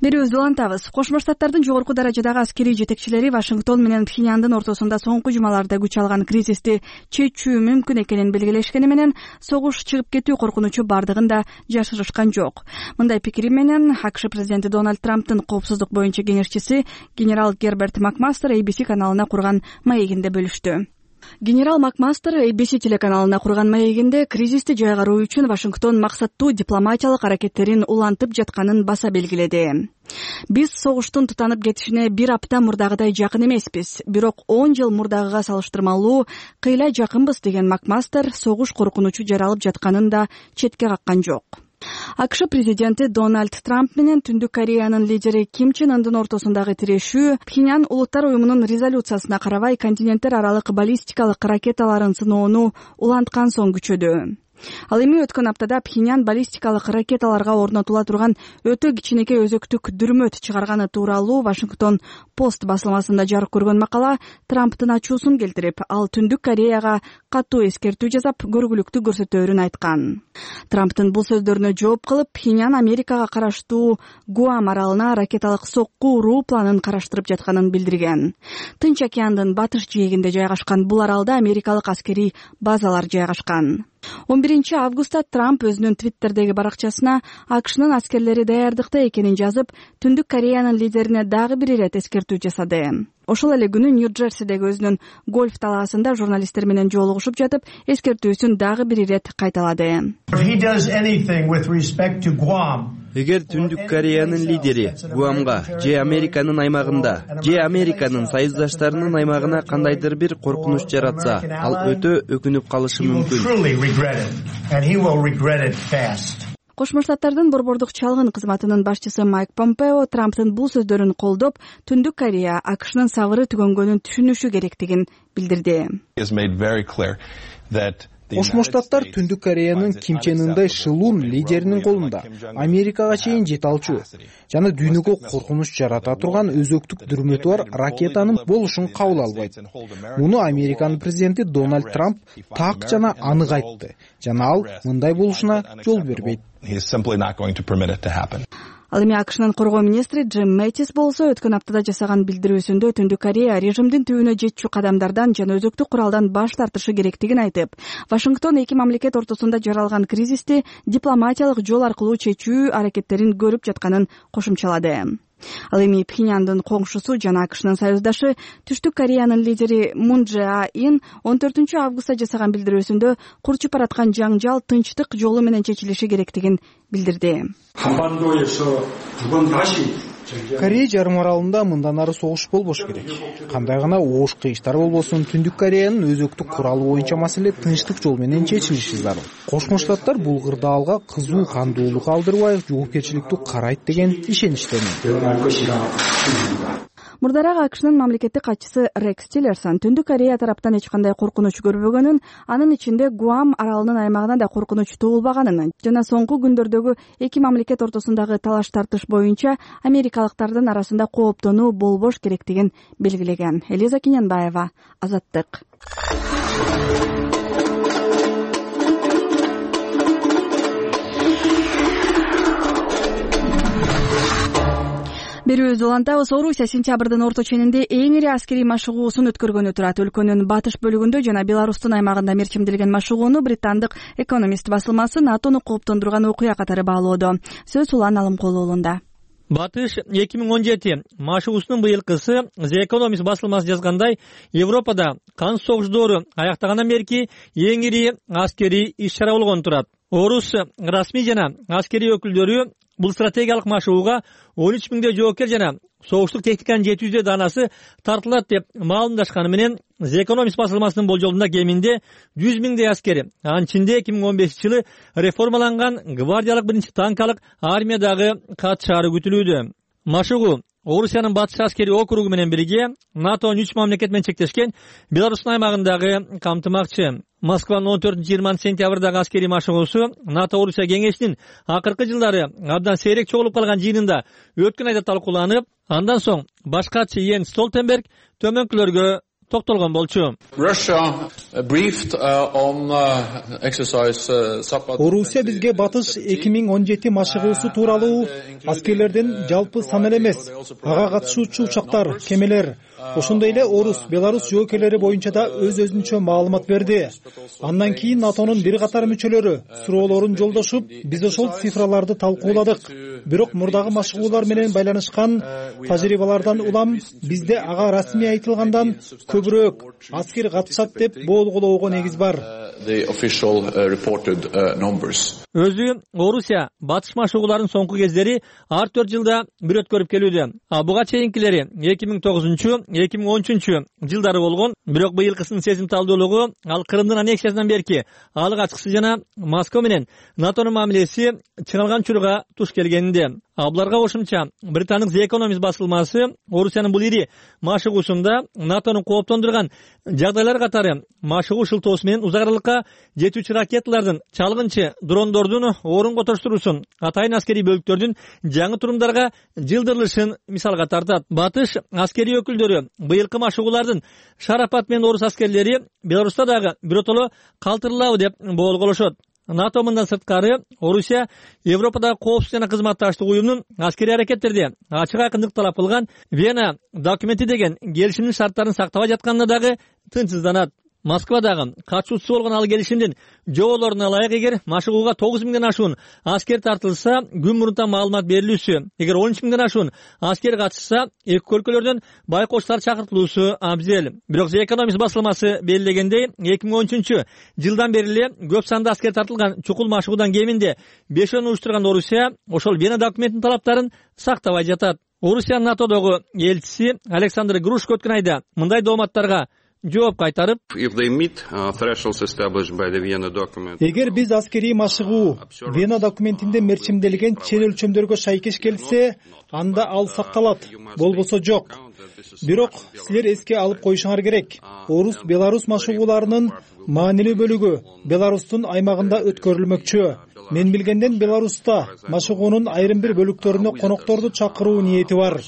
Берүүбүздү улантабыз. Кошмо Штаттардын жогорку даражадагы аскерий жетекчилери Вашингтон менен Пхеньяндын ортосунда соңку жумаларда күч алган кризисти чечүү мүмкүн экенин белгилешкени менен согуш чыгып кетүү коркунучу бардыгын да жашырышкан жок. Мындай пикири менен АКШ президенти Дональд Трамптын коопсуздук боюнча кеңешчиси генерал Герберт Макмастер эй би си каналына курган маегинде бөлүштү. Генерал Макмастер эй би си телеканалына курган маегинде кризисти жайгаруу үчүн Вашингтон максаттуу дипломатиялык аракеттерин улантып жатканын баса белгиледи. Биз согуштун тутанып кетишине бир апта мурдагыдай жакын эмеспиз, бирок он жыл мурдагыга салыштырмалуу кыйла жакынбыз деген Макмастер согуш коркунучу жаралып жатканын да четке каккан жок. АКШ президенти Дональд Трамп менен Түндүк Кореянын лидери Ким Чен Ындын ортосундагы тирешүү Пхеньян Улуттар уюмунун резолюциясына карабай континенттер аралык баллистикалык ракеталарын сыноону уланткан соң күчөдү. Ал эми өткөн аптада Пхеньян баллистикалык ракеталарга орнотула турган өтө кичинекей өзөктүк дүрмөт чыгарганы тууралуу Вашингтон Пост басылмасында жарык көргөн макала Трамптын ачуусун келтирип, ал Түндүк Кореяга катуу эскертүү жасап, көргүлүктүү көрсөтөөрүн айткан. Трамптын бул сөздөрүнө жооп кылып, Пхеньян Америкага караштуу Гуам аралына ракеталык сокку уруу планын караштырып жатканын билдирген. Тынч океандын батыш жээгинде жайгашкан бул аралда америкалык аскерий базалар жайгашкан. он биринчи августта Трамп өзүнүн Твиттердеги баракчасына АКШнын аскерлери даярдыкта экенин жазып, Түндүк Кореянын лидерине дагы бир ирет эскертүү жасады. Ошол эле күнү Нью-Джерсидеги өзүнүн гольф талаасында журналисттер менен жолугушуп жатып, эскертүүсүн дагы бир ирет кайталады. Эгер Түндүк Кореянын лидери Гуамга же Американын аймагында же Американын союздаштарынын аймагына кандайдыр бир коркунуч жаратса, ал өтө өкүнүп калышы мүмкүн. Кошмо Штаттардын борбордук чалгын кызматынын башчысы Майк Помпео Трамптын бул сөздөрүн колдоп, Түндүк Корея АКШнын сабыры түгөнгөнүн түшүнүшү керектигин билдирди. Кошмо Штаттар Түндүк Кореянын Ким Чен Ындай шылуун лидеринин колунда, Америкага чейин жете алчу жана дүйнөгө коркунуч жарата турган өзөктүк дүрмөтү бар ракетанын болушун кабыл албайт. Муну Американын президенти Дональд Трамп так жана анык айтты жана ал мындай болушуна жол бербейт. Ал эми АКШнын коргоо министри Джим Мэттис болсо өткөн аптада жасаган билдирүүсүндө Түндүк Корея режимдин түбүнө жетчү кадамдардан жана өзөктүк куралдан баш тартышы керектигин айтып, Вашингтон эки мамлекет ортосунда жаралган кризисти дипломатиялык жол аркылуу чечүү аракеттерин көрүп жатканын кошумчалады. Ал эми Пхеньяндын коңшусу жана АКШнын союздашы Түштүк Кореянын лидери Мун Чжэ Ин он төртүнчү августта жасаган билдирүүсүндө курчуп бараткан жаңжал тынчтык жолу менен чечилиши керектигин билдирди. Корея жарым аралында мындан ары согуш болбош керек. Кандай гана оош кыйыштар болбосун, Түндүк Кореянын өзөктүк куралы боюнча маселе тынчтык жол менен чечилиши зарыл. Кошмо Штаттар бул кырдаалга кызуу кандуулук алдырбай, жоопкерчиликтүү карайт деген ишеничтемин. Мурдараак АКШнын мамлекеттик катчысы Рекс Тиллерсон Түндүк Корея тараптан эч кандай коркунуч көрбөгөнүн, анын ичинде Гуам аралынын аймагынан да коркунуч туулбаганын жана соңку күндөрдөгү эки мамлекет ортосундагы талаш тартыш боюнча америкалыктардын арасында кооптонуу болбош керектигин белгилеген. Элиза Кинянбаева, Азаттык. Берүүбүздү улантабыз. Орусия сентябрдын орто ченинде эң ири аскерий машыгуусун өткөргөнү турат. Өлкөнүн батыш бөлүгүндө жана Беларустун аймагында мерчимделген машыгууну британдык Economist басылмасы НАТОну кооптондурган окуя катары баалоодо. Сөз Улан Алымкулуулунда. Батыш эки миң он жети машыгуусунун быйылкысы The Economist басылмасы жазгандай, Европада кан согуш доору аяктагандан берки эң ири аскерий иш-чара болгон турат. Орус расмий жана аскерий өкүлдөрү бул стратегиялык машыгууга он үч миңдей жоокер жана согуштук техниканын жети жүздөй даанасы тартылат деп маалымдашканы менен The Economist басылмасынын болжолунда кеминде жүз миңдей аскери, анын ичинде эки миң он бешинчи жылы реформаланган гвардиялык биринчи танкалык армиядагы катышаары күтүлүүдө. Машыгуу Орусиянын батыш аскери округу менен бирге НАТОнун үч мамлекет менен чектешкен Беларустун аймагындагы камтымакчы. Москванын он төртүнчү жыйырманчы сентябрдагы аскерий машыгуусу НАТО Орусия кеңешинин акыркы жылдары абдан сейрек чогулуп калган жыйынында өткөн айда талкууланып, андан соң баш катчы Йенс Столтенберг төмөнкүлөргө токтолгон болчу. Орусия бизге батыш эки миң он жети машыгуусу тууралуу аскерлердин жалпы саны эле эмес, ага катышуучу учактар, кемелер, ошондой эле Орус, Беларус жоокерлери боюнча да өз-өзүнчө маалымат берди. Андан кийин НАТОнун бир катар мүчөлөрү суроолорун жолдошуп, биз ошол цифраларды талкууладык. Бирок мурдагы машыгуулар менен байланышкан тажрыйбалардан улам бизде ага расмий айтылгандан көбүрөөк аскер катышат деп боолголоого негиз бар. Өзү Орусия батыш машыгууларын соңку кездери ар төрт жылда бир өткөрүп келүүдө. А буга чейинкилери эки миң тогузунчу эки миң он үчүнчү жылдары болгон. Бирок быйылкысынын сезимталдуулугу ал Крымдын аннексиясынан берки алык ачкысы жана Москва менен НАТОнун мамилеси чыңалган учурга туш келгенинде. А буларга кошумча британдык The Economist басылмасы Орусиянын бул ири машыгуусунда НАТОнун кооптондурган жагдайлар катары машыгуу шылтоосу менен узак аралыкка жетүүчү ракеталардын, чалгынчы дрондордун орун котуруусун, атайын аскерий бөлүктөрдүн жаңы турумдарга жылдырылышын мисалга тартат. Батыш аскерий өкүлдөрү быйылкы машыгуулардын шарапат менен орус аскерлери Беларуста дагы биротоло калтырылабы деп боолголошот. НАТО мындан сырткары Орусия Европадагы коопсуздук жана кызматташтык уюмунун аскерий аракеттерде ачык айкындык талап кылган Вена документи деген келишимдин шарттарын сактабай жатканына дагы тынчсызданат. Москвадагы катышуучусу болгон ал келишимдин жоболоруна ылайык эгер машыгууга тогуз миңден ашуун аскер тартылса, күн мурунтан маалымат берилүүсү, эгер он үч миңден ашуун аскер катышса, эки өлкөлөрдөн байкоочулар чакыртылуусу абзел. Бирок The Economist басылмасы белгилегендей, эки миң он үчүнчү жылдан бери эле көп санды аскер тартылган чукул машыгуудан кеминде бешөөнү уюштурган Орусия ошол Вена документинин талаптарын сактабай жатат. Орусиянын НАТОдогу элчиси Александр Грушко өткөн айда мындай дооматтарга жооп кайтарып, эгер биз аскерий машыгуу Вена документинде мерчимделген чет өлчөмдөргө шайкеш келсе, анда ал сакталат, болбосо жок. Бирок силер эске алып коюшуңар керек. Орус Беларусь машыгууларынын маанилүү бөлүгү Беларустун аймагында өткөрүлмөкчү. Мен билгенден Беларуста машыгуунун айрым бир бөлүктөрүнө конокторду чакыруу ниети бар.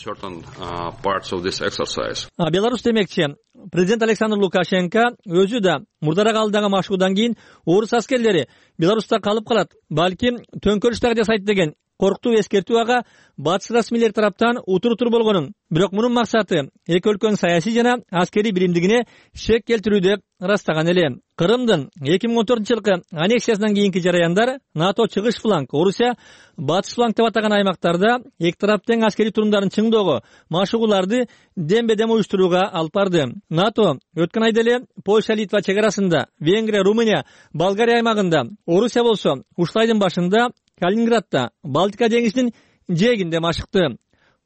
Беларусь демекчи, президент Александр Лукашенко өзү да мурдараак алдагы машыгуудан кийин орус аскерлери Беларуста калып калат, балким төңкөрүш дагы жасайт деген корктуу эскертүү ага батыш расмийлер тараптан утур-утур болгонун, бирок мунун максаты эки өлкөнүн саясий жана аскерий биримдигине шек келтирүү деп ырастаган эле. Кырымдын эки миң он төртүнчү жылкы аннексиясынан кийинки жараяндар НАТО чыгыш фланг, Орусия батыш фланг деп атаган аймактарда эки тарап тең аскерий турумдарын чыңдоого, машыгууларды дембе-дем уюштурууга алып барды. НАТО өткөн айда эле Польша, Литва чек арасында, Венгрия, Румыния, Болгария аймагында, Орусия болсо ушул айдын башында Калининградда, Балтика деңизинин жээгинде машыкты.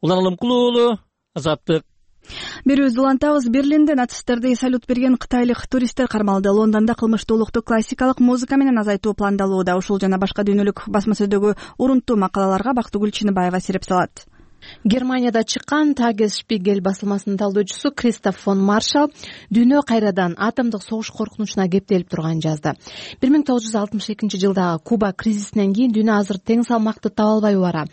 Улан Алымкулуу уулу, Азаттык. Берүүбүздү улантабыз. Берлинде нацисттерди салют берген кытайлык туристтер кармалды. Лондондо кылмыштуулукту классикалык музыка менен азайтуу пландалууда. Ушул жана башка дүйнөлүк басма сөздөгү урунттуу макалаларга Бактыгүл Чыныбаева сереп салат. Германияда чыккан Tagesspiegel басылмасынын талдоочусу Кристоф фон Маршал дүйнө кайрадан атомдук согуш коркунучуна кептелип турганын жазды. бир миң тогуз жүз алтымыш экинчи жылдагы Куба кризисинен кийин дүйнө азыр тең салмакты таба албай бара.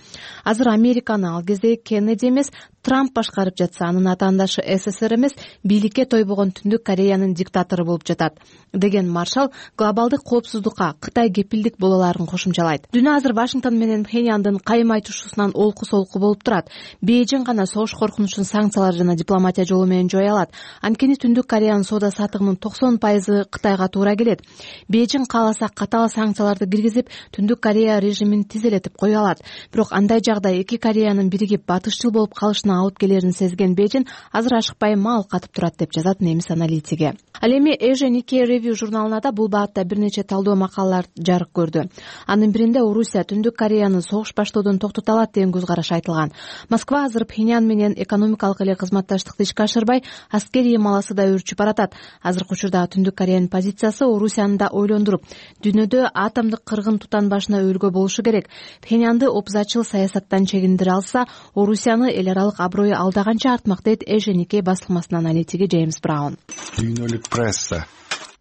Азыр Американы ал кезде Кеннеди эмес, Трамп башкарып жатса, анын атаандашы СССР эмес, бийликке тойбогон Түндүк Кореянын диктатору болуп жатат деген Маршал глобалдык коопсуздукка Кытай кепилдик боло аларын кошумчалайт. Дүйнө азыр Вашингтон менен Пхеньяндын кайым айтышуусунан олку-солку болуп турат. Бейжиң гана согуш коркунучун санкциялар жана дипломатия жолу менен жоя алат. Анткени Түндүк Кореянын соода сатыгынын токсон пайызы Кытайга туура келет. Бейжиң кааласа катаал санкцияларды киргизип, Түндүк Корея режимин тизелетип кое алат. Бирок андай жагдай эки Кореянын биригип батышчыл болуп калышына алып келерин сезген Бейжиң азыр ашыкпай мал катып турат деп жазат немис аналитиги. Ал эми Asia Nikkei Review журналында да бул баатта бир нече талдоо макалалар жарык көрдү. Анын биринде Орусия Түндүк Кореяны согуш баштоодон токтото алат деген көз караш айтылган. Москва азыр Пхеньян менен экономикалык эле кызматташтыкты ишке ашырбай, аскерий маласы да өрчүп баратат. Азыркы учурда Түндүк Кореянын позициясы Орусияны да ойлондуруп, дүйнөдө атомдук кыргын тутан башына өлгө болушу керек. Пхеньянды опузатчыл саясаттан чегиндире алса, Орусияны эл аралык аброю алдаганча артмак дейт Asia Nikkei басылмасынын аналитиги Джеймс Браун. Дүйнөлүк пресса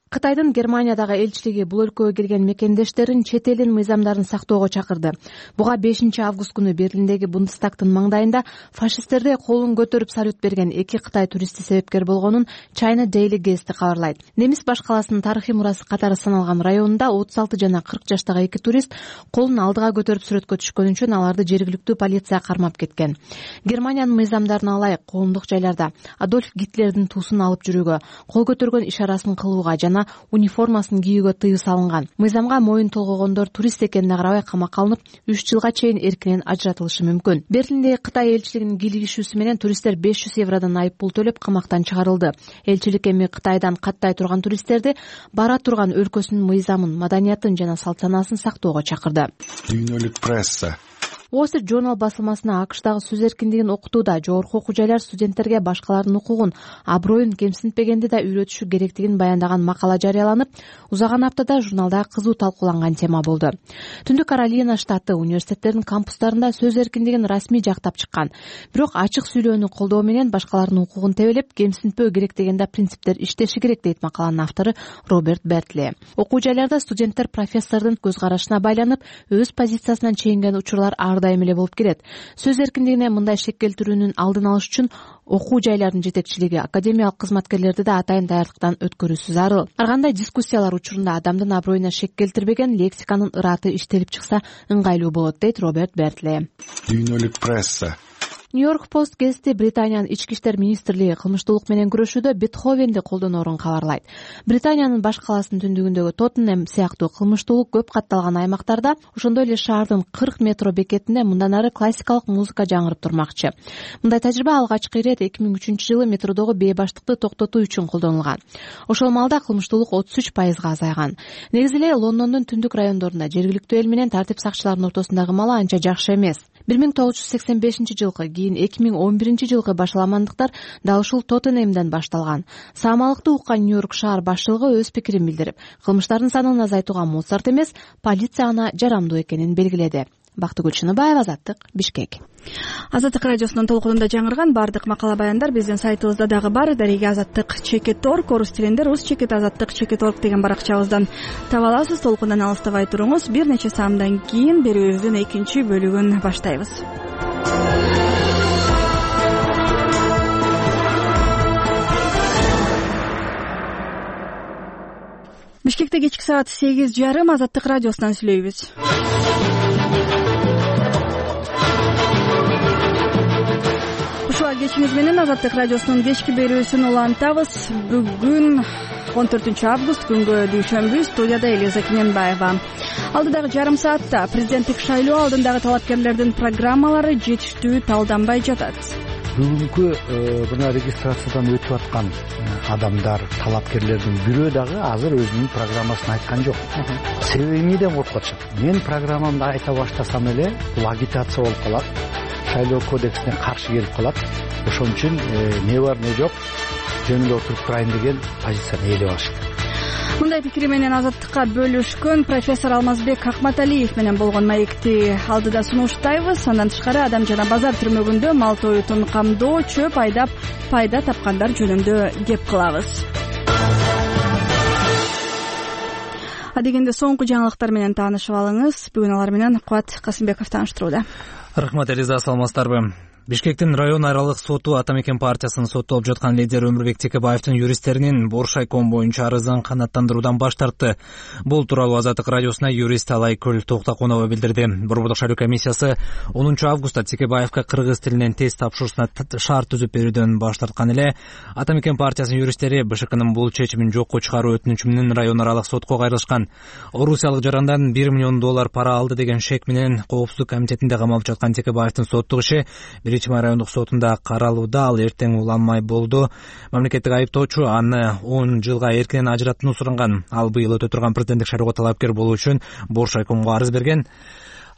Кытайдын Германиядагы элчилиги бул өлкөгө келген мекендештерин чет элдин мыйзамдарын сактоого чакырды. Буга бешинчи август күнү Берлиндеги Бундестагтын маңдайында фашисттерде колун көтөрүп салют берген эки Кытай туристи себепкер болгонун China Daily Guest кабарлайт. Немис баш каласынын тарыхый мурасы катары саналган районунда отуз алты жана кырк жаштагы эки турист колун алдыга көтөрүп сүрөткө түшкөн үчүн аларды жергиликтүү полиция кармап кеткен. Германиянын мыйзамдарына ылайык коомдук жайларда Адольф Гитлердин туусун алып жүрүүгө, кол көтөргөн ишарасын кылууга жана униформасын кийүүгө тыюу салынган. Мыйзамга моюн толгогондор турист экенине карабай камакка алынып, үч жылга чейин эркинен ажыратылышы мүмкүн. Берлиндеги Кытай элчилигинин кийлигишүүсү менен туристтер беш жүз евродон айып пул төлөп камактан чыгарылды. Элчилик эми Кытайдан каттай турган туристтерди бара турган өлкөсүнүн мыйзамын, маданиятын жана салт санаасын сактоого чакырды. Дүйнөлүк пресса Wall Street Journal басылмасына АКШдагы сөз эркиндигин окутууда жогорку окуу жайлар студенттерге башкалардын укугун, аброюн кемсинтпегенди да үйрөтүшү керектигин баяндаган макала жарыяланып, узаган аптада журналда кызуу талкууланган тема болду. Түндүк Каролина штаты университеттердин кампустарында сөз эркиндигин расмий жактап чыккан. Бирок ачык сүйлөөнү колдоо менен башкалардын укугун тебелеп, кемсинтпөө керек деген да принциптер иштеши керек дейт макаланын автору Роберт Бертли. Окуу жайларда студенттер профессордун көз карашына байланып, өз позициясынан чегинген учурлар ар дайым эле болуп келет. Сөз эркиндигине мындай шек келтирүүнүн алдын алыш үчүн окуу жайлардын жетекчилиги, академиялык кызматкерлерди да атайын даярдыктан өткөрүүсү зарыл. Ар кандай дискуссиялар учурунда адамдын аброюна шек келтирбеген лексиканын ыраты иштелип чыкса ыңгайлуу болот дейт Роберт Бертли. Дүйнөлүк пресса Нью-Йорк Пост гезити Британиянын ички иштер министрлиги кылмыштуулук менен күрөшүүдө Бетховенди колдоноорун кабарлайт. Британиянын баш каласынын түндүгүндөгү Тоттенем сыяктуу кылмыштуулук көп катталган аймактарда, ошондой эле шаардын кырк метро бекетинде мындан ары классикалык музыка жаңырып турмакчы. Мындай тажрыйба алгачкы ирет эки миң үчүнчү жылы метродогу бейбаштыкты токтотуу үчүн колдонулган. Ошол маалда кылмыштуулук отуз үч пайызга азайган. Негизи эле Лондондун түндүк райондорунда жергиликтүү эл менен тартип сакчыларынын ортосундагы маала анча жакшы эмес. бир миң тогуз жүз сексен бешинчи жылкы, кийин эки миң он биринчи жылкы башаламандыктар дал ушул Тоттенемден башталган. Саамалыкты уккан Нью-Йорк шаар башчылыгы өз пикирин билдирип, кылмыштардын санын азайтууга Моцарт эмес, полиция гана жарамдуу экенин белгиледи. Бактыгүл Чыныбаева, Азаттык, Бишкек. Азаттык радиосунун толкунунда жаңырган бардык макала баяндар биздин сайтыбызда дагы бар. Дареге азаттык чекит орг, орус тилинде рус чекит азаттык чекит орг деген баракчабыздан таба аласыз. Толкундан алыстабай туруңуз. Бир нече саамдан кийин берүүбүздүн экинчи бөлүгүн баштайбыз. Бишкекте кечки саат сегиз жарым Азаттык радиосунан сүйлөйбүз. Ушуга кечиңиз менен Азаттык радиосунун кечки берүүсүн улантабыз. Бүгүн он төртүнчү август, күнгө дүйшөмбү, студияда Элиза Кененбаева. Алдыдагы жарым саатта президенттик шайлоо алдындагы талапкерлердин программалары жетиштүү талданбай жатат. Бүгүнкү мына регистрациядан өтүп аткан адамдар, талапкерлердин бирөө дагы азыр өзүнүн программасын айткан жок. Себеби эмнеден коркуп атышат? Мен программамды айта баштасам эле бул агитация болуп калат, шайлоо кодексине каршы келип калат. Ошон үчүн не бар не жок жөнүндө отуруп турайын деген позицияны ээлеп алышты. Мындай пикири менен Азаттыкка бөлүшкөн профессор Алмазбек Акматалиев менен болгон маекти алдыда сунуштайбыз. Андан тышкары Адам жана базар түрмөгүндө мал тоютун камдоо, чөп айдап пайда тапкандар жөнүндө кеп кылабыз. Адегенде соңку жаңылыктар менен таанышып алыңыз. Бүгүн алар менен Кубат Касымбеков тааныштырууда. Рахмат Элиза, саламатсыздарбы? Бишкектин район аралык соту Атамекен партиясынын соттолуп жаткан лидери Өмүрбек Текебаевдин юристтеринин Боршайком боюнча арызын канааттандыруудан баш тартты. Бул тууралуу Азаттык радиосуна юрист Алайкүл Токтокунова билдирди. Борбордук шайлоо комиссиясы онунчу августта Текебаевга кыргыз тилинен тест тапшыруусуна шарт түзүп берүүдөн баш тарткан эле Атамекен партиясынын юристтери БШКнын бул чечимин жокко чыгаруу өтүнүчү менен район аралык сотко кайрылышкан. Орусиялык жарандан бир миллион доллар пара алды деген шек менен Коопсуздук комитетинде камалып жаткан Текебаевдин соттук иши Биринчи райондук сотунда каралууда. Ал эртең уланмай болду. Мамлекеттик айыптоочу аны он жылга эркинен ажыраттууну суранган. Ал быйыл өтө турган президенттик шайлоого талапкер болуу үчүн Боршайкомго арыз берген.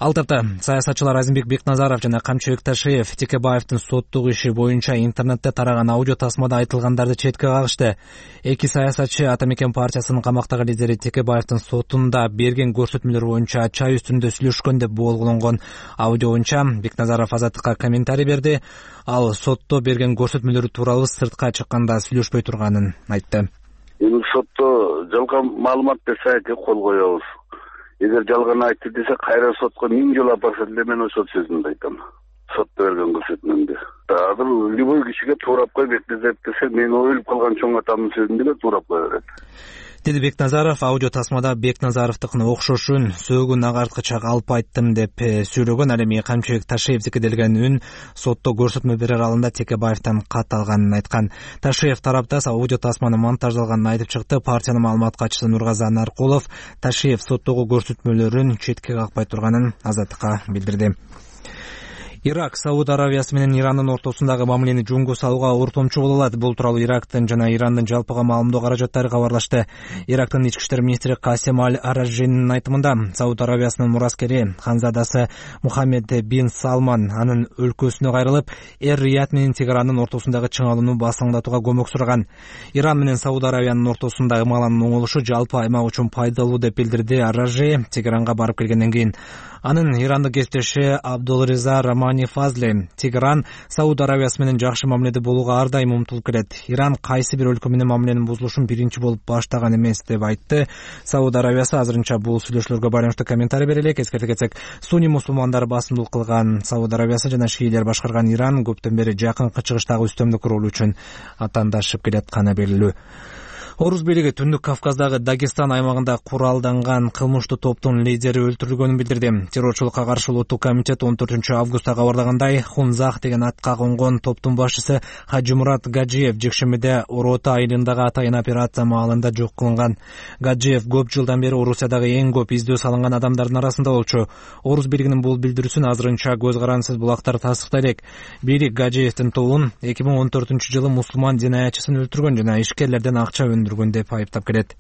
Ал тапта саясатчылар Азимбек Бекназаров жана Камчыбек Ташиев Текебаевдин соттук иши боюнча интернетте тараган аудио тасмада айтылгандарды четке кагышты. Эки саясатчы Атамекен партиясынын камактагы лидери Текебаевдин сотунда берген көрсөтмөлөр боюнча чай үстүндө сүйлөшкөн деп боолголонгон аудио боюнча Бекназаров Азаттыкка комментарий берди. Ал сотто берген көрсөтмөлөрү тууралуу сыртка чыкканда сүйлөшпөй турганын айтты. Эми сотто жалган маалымат берсе кол коебуз. Эгер жалган айтты десе кайра сотко миң жолу апарса деле мен ошол сөзүмдү айтам. Сотто берген көрсөтмөмдү. Азыр любой кишиге туурап кой Бекназаров десе мен өлүп калган чоң атамдын сөзүн деле туурап кое берет. Деди Бекназаров. Аудио тасмада Бекназаровдукуна окшошун сөөгүн агарткыча калп айттым деп сүйлөгөн. Ал эми Камчыбек Ташиевдики делген үн сотто көрсөтмө берер алдында Текебаевден кат алганын айткан. Ташиев тарапта аудио тасманы монтаждалганын айтып чыкты. Партиянын маалымат катчысы Нургазы Наркулов Ташиев соттогу көрсөтмөлөрүн четке какпай турганын Азаттыкка билдирди. Ирак Сауд Аравиясы менен Ирандын ортосундагы мамилени жөнгө салууга ортомчу боло алат. Бул тууралуу Ирактын жана Ирандын жалпыга маалымдоо каражаттары кабарлашты. Ирактын ички иштер министри Касем Аль-Аражжинин айтымында Сауд Аравиясынын мураскери ханзадасы Мухаммед бин Салман анын өлкөсүнө кайрылып, Эр-Рияд менен Тегерандын ортосундагы чыңалууну басаңдатууга көмөк сураган. Иран менен Сауд Аравиянын ортосундагы ымаланын оңолушу жалпы аймак үчүн пайдалуу деп билдирди Аражжи Тегеранга барып келгенден кийин. Анын ирандык кесиптеши Абдулриза Рамани Фазли Тегеран Сауд Аравиясы менен жакшы мамиледе болууга ар дайым умтулуп келет. Иран кайсы бир өлкө менен мамиленин бузулушун биринчи болуп баштаган эмес деп айтты. Сауд Аравиясы азырынча бул сүйлөшүүлөргө байланыштуу комментарий бере элек. Эскерте кетсек, сунни мусулмандар басымдуулук кылган Сауд Аравиясы жана шиилер башкарган Иран көптөн бери жакынкы чыгыштагы үстөмдүк ролу үчүн атаандашып келатканы белгилүү. Орус бийлиги Түндүк Кавказдагы Дагестан аймагында куралданган кылмыштуу топтун лидери өлтүрүлгөнүн билдирди. Террорчулукка каршы улуттук комитет он төртүнчү августта кабардагандай, Хунзах деген атка конгон топтун башчысы Хаджимурат Гаджиев жекшембиде Орота айылындагы атайын операция маалында жок кылынган. Гаджиев көп жылдан бери Орусиядагы эң көп издөө салынган адамдардын арасында болчу. Орус бийлигинин бул билдирүүсүн азырынча көз карансыз булактар тастыктай элек. Бийлик Гаджиевдин тобун эки миң он төртүнчү жылы мусулман жинаятчысын өлтүргөн жана ишкерлерден акча өндүргөн деп айыптап келет.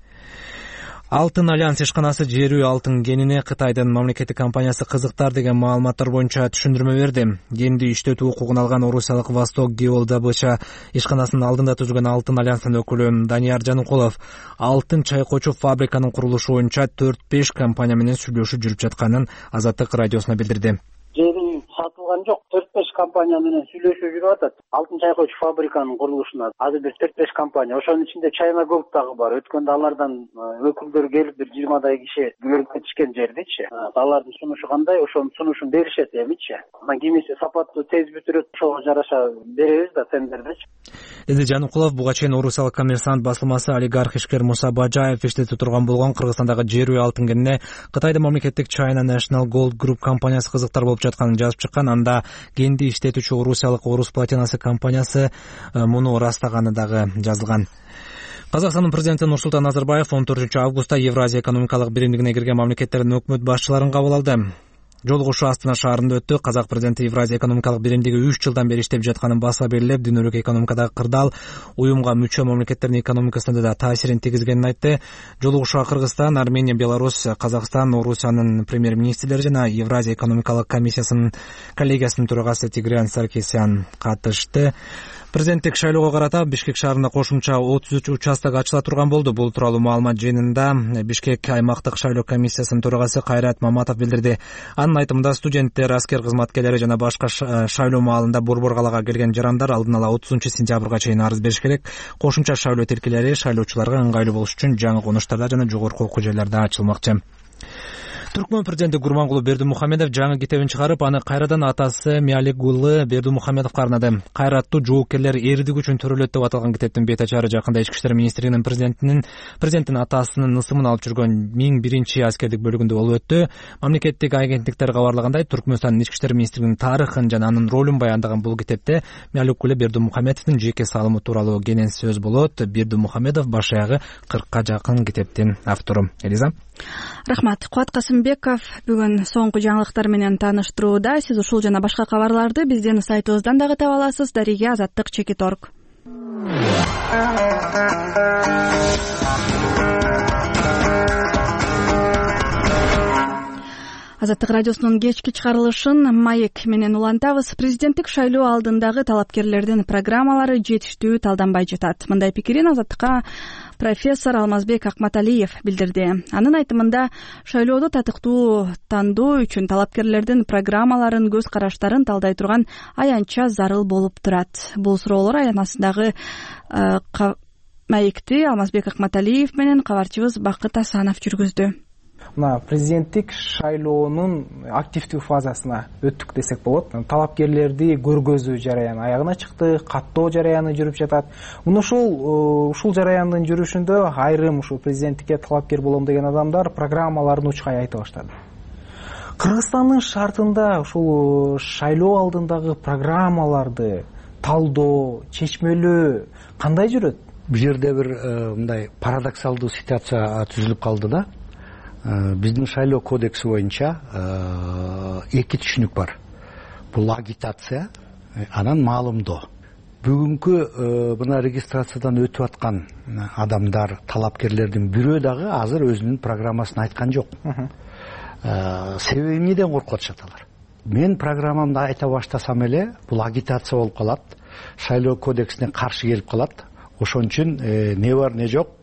Алтын альянс ишканасы жерүү алтын кенине Кытайдын мамлекеттик компаниясы кызыктар деген маалыматтар боюнча түшүндүрмө берди. Кенди иштетүү укугун алган орусиялык Восток Геолдобыча ишканасынын алдында түзүлгөн алтын альянстын өкүлү Данияр Жаныкулов алтын чайкоочу фабриканын курулушу боюнча төрт беш компания менен сүйлөшүү жүрүп жатканын Азаттык радиосуна билдирди. Жери сатылган жок, төрт беш компания менен сүйлөшүү жүрүп атат. Алтын чайкоочу фабриканын курулушуна азыр бир төрт беш компания, ошонун ичинде China Gold дагы бар. Өткөндө алардан өкүлдөр келип бир жыйырмадай киши көрүп кетишкен жердичи. Алардын сунушу кандай, ошонун сунушун беришет эмичи. Анан кимиси сапаттуу тез бүтүрөт, ошого жараша беребиз да тендердечи. Деди Жаныкулов. Буга чейин Орусиялык Коммерсант басылмасы олигарх ишкер Муса Бажаев иштетип турган болгон Кыргызстандагы жерүү алтын кенине Кытайдын мамлекеттик China National Gold Group компаниясы кызыктар болуп жатканын жазып чыккан. Анда кенди иштетүүчү орусиялык Орус платинасы компаниясы муну ырастаганы дагы жазылган. Казакстандын президенти Нурсултан Назарбаев он төртүнчү августта Евразия экономикалык биримдигине кирген мамлекеттердин өкмөт башчыларын кабыл алды. Жолугушуу Астана шаарында өттү. Казак президенти Евразия экономикалык биримдиги үч жылдан бери иштеп жатканын баса белгилеп, дүйнөлүк экономикадагы кырдаал уюмга мүчө мамлекеттердин экономикасына да таасирин тийгизгенин айтты. Жолугушууга Кыргызстан, Армения, Беларусь, Казакстан, Орусиянын премьер-министрлери жана Евразия экономикалык комиссиясынын коллегиясынын төрагасы Тигран Саркисян катышты. Президенттик шайлоого карата Бишкек шаарында кошумча отуз үч участок ачыла турган болду. Бул тууралуу маалымат жыйынында Бишкек аймактык шайлоо комиссиясынын төрагасы Кайрат Маматов билдирди. Анын айтымында студенттер, аскер кызматкерлери жана башка шайлоо маалында борбор калаага келген жарандар алдын ала отузунчу сентябрга чейин арыз бериш керек. Кошумча шайлоо тилкелери шайлоочуларга ыңгайлуу болуш үчүн жаңы конуштарда жана жогорку окуу жайларда ачылмакчы. Түркмөн президенти Гурмангулу Бердимухамедов жаңы китебин чыгарып, аны кайрадан атасы Миалигулы Бердимухамедовго арнады. Кайраттуу жоокерлер эрдик үчүн төрөлөт деп аталган китептин бет ачары жакында Ички иштер министрлигинин президентинин президенттин атасынын ысымын алып жүргөн миң биринчи аскердик бөлүгүндө болуп өттү. Мамлекеттик агенттиктер кабарлагандай, Түркмөнстандын Ички иштер министрлигинин тарыхын жана анын ролун баяндаган бул китепте Миалигулы Бердимухамедовдун жеке салымы тууралуу кенен сөз болот. Бердимухамедов баш аягы кыркка жакын китептин автору. Элиза. Рахмат. Кубат Касымбеков бүгүн соңку жаңылыктар менен тааныштырууда. Сиз ушул жана башка кабарларды биздин сайтыбыздан дагы таба аласыз. Дариге Азаттык чекит точка орг. Азаттык радиосунун кечки чыгарылышын маек менен улантабыз. Президенттик шайлоо алдындагы талапкерлердин программалары жетиштүү талданбай жатат. Мындай пикирин Азаттыкка профессор Алмазбек Акматалиев билдирди. Анын айтымында, шайлоодо татыктуу тандоо үчүн талапкерлердин программаларын, көз караштарын талдай турган аянтча зарыл болуп турат. Бул суроолор аянасындагы маекти Алмазбек Акматалиев менен кабарчыбыз Бакыт Асанов жүргүздү. Мына президенттик шайлоонун активдүү фазасына өттүк десек болот. Талапкерлерди көргөзүү жараяны аягына чыкты, каттоо жараяны жүрүп жатат. Мына ушул ушул жараяндын жүрүшүндө айрым ушул президенттикке талапкер болом деген адамдар программаларын учкай айта баштады. Кыргызстандын шартында ушул шайлоо алдындагы программаларды талдоо, чечмелөө кандай жүрөт? Бул жерде бир мындай парадоксалдуу ситуация түзүлүп калды да. Биздин шайлоо кодекси боюнча эки түшүнүк бар. Бул агитация, анан маалымдоо. Бүгүнкү мына регистрациядан өтүп аткан адамдар, талапкерлердин бирөө дагы азыр өзүнүн программасын айткан жок. Себеби эмнеден коркуп атышат алар? Мен программамды айта баштасам эле, бул агитация болуп калат, шайлоо кодексине каршы келип калат. Ошон үчүн не бар, не жок,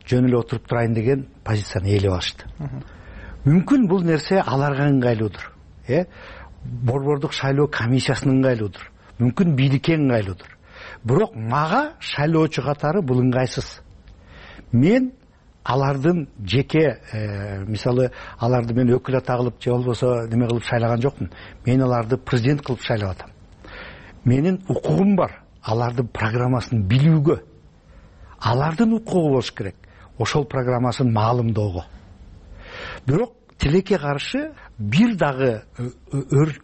жөн эле отуруп турайын деген позицияны ээлеп алышты. Мүмкүн бул нерсе аларга ыңгайлуудур. Э, борбордук шайлоо комиссиясына ыңгайлуудур. Мүмкүн бийликке ыңгайлуудур. Бирок мага шайлоочу катары бул ыңгайсыз. Мен алардын жеке, мисалы, аларды мен өкүл ата кылып же болбосо неме кылып шайлаган жокмун. Мен аларды президент кылып шайлап атам. Менин укугум бар алардын программасын билүүгө. алардын укугу болуш керек ошол программасын маалымдоого. Бирок тилекке каршы бир дагы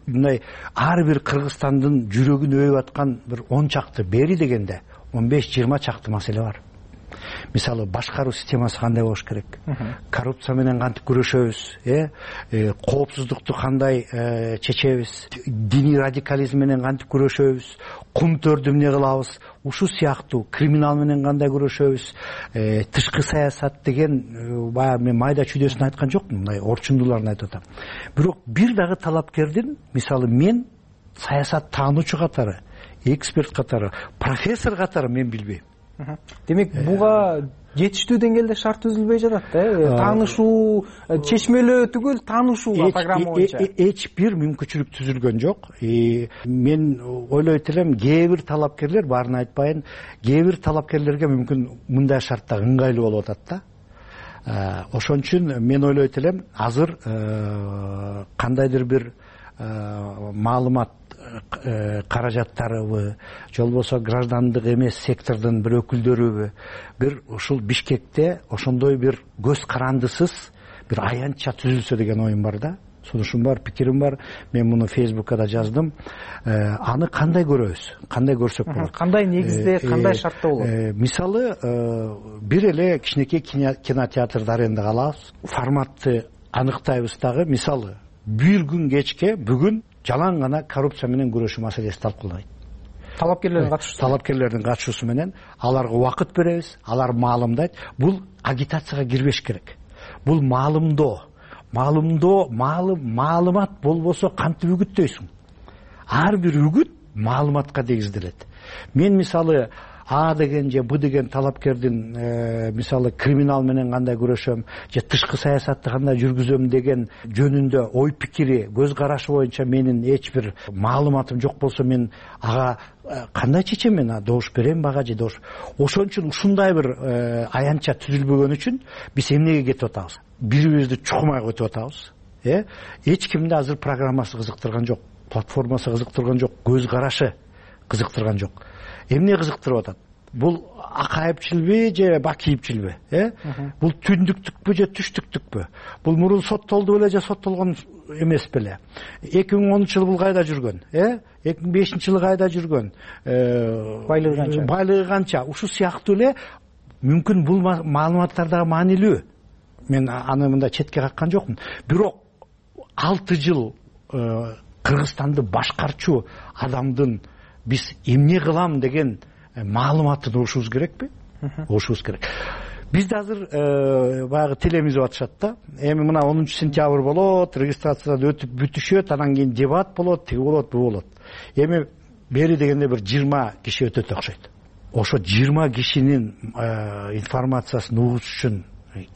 мындай ар бир Кыргызстандын жүрөгүн өйүп аткан бир он чакты бери дегенде он беш жыйырма чакты маселе бар. Мисалы башкаруу системасы кандай болуш керек, коррупция менен кантип күрөшөбүз, э коопсуздукту кандай чечебиз, диний радикализм менен кантип күрөшөбүз, кумтөрдү эмне кылабыз, ушул сыяктуу криминал менен кандай күрөшөбүз, тышкы саясат деген баягы мен майда чүйдөсүн айткан жокмун, мындай орчундууларын айтып атам. Бирок бир дагы талапкердин, мисалы мен саясат таануучу катары, эксперт катары, профессор катары мен билбейм. Демек буга жетиштүү деңгээлде шарт түзүлбөй жатат да, таанышуу, чечмелөө түгүл таанышууга программа боюнча эч бир мүмкүнчүлүк түзүлгөн жок. Мен ойлойт элем кээ бир талапкерлер, баарын айтпайын, кээ бир талапкерлерге мүмкүн мындай шартта ыңгайлуу болуп атат да. Ошон үчүн мен ойлойт элем азыр кандайдыр бир маалымат каражаттарыбы же болбосо граждандык эмес сектордун бир өкүлдөрүбү бир ушул Бишкекте ошондой бир көз карандысыз бир аянтча түзүлсө деген оюм бар да. Сунушум бар, пикирим бар. Мен муну Фейсбукка да жаздым. Аны кандай көрөбүз, кандай көрсөк болот, кандай негизде, кандай шартта болот? Мисалы бир эле кичинекей кинотеатрды арендага алабыз, форматты аныктайбыз дагы. Мисалы бир күн кечке бүгүн жалаң гана коррупция менен күрөшүү маселеси талкуулайт. Талапкерлердин катышуусу талапкерлердин катышуусу менен аларга убакыт беребиз, алар маалымдайт. Бул агитацияга кирбеш керек. Бул маалымдоо. Маалымдоо, маалымат болбосо кантип үгүттөйсүң? Ар бир үгүт маалыматка негизделет. Мен мисалы А деген же Б деген талапкердин мисалы криминал менен кандай күрөшөм, же тышкы саясатты кандай жүргүзөм деген жөнүндө ой пикири, көз карашы боюнча менин эч бир маалыматым жок болсо мен ага кандай чечем, мен добуш берем бага же добуш. Ошон үчүн ушундай бир аянтча түзүлбөгөн үчүн биз эмнеге кетип атабыз? Бирибизди чукумай өтүп атабыз. Э? Эч кимди азыр программасы кызыктырган жок, платформасы кызыктырган жок, көз карашы кызыктырган жок. Эмне кызыктырып атат? Бул акайыпчылбы же бакийипчилби? Э? Бул түндүктүкпү же түштүктүкпү? Бул мурун соттолду беле же соттолгон эмес беле? эки миң онунчу жылы бул кайда жүргөн? Э? эки миң бешинчи жылы кайда жүргөн? Э, байлыгы канча? Байлыгы канча? Ушул сыяктуу эле мүмкүн бул маалыматтар дагы маанилүү. Мен аны мындай четке каккан жокмун. Бирок алты жыл Кыргызстанды башкарчу адамдын биз эмне кылам деген маалыматын угушубуз керекпи? Угушубуз керек. Бизде азыр баягы телемизип атышат да. Эми мына онунчу сентябрь болот, регистрациядан өтүп бүтүшөт, анан кийин дебат болот, тиги болот, бу болот. Эми бери дегенде бир жыйырма киши өтөт окшойт. Ошо жыйырма кишинин информациясын угуш үчүн,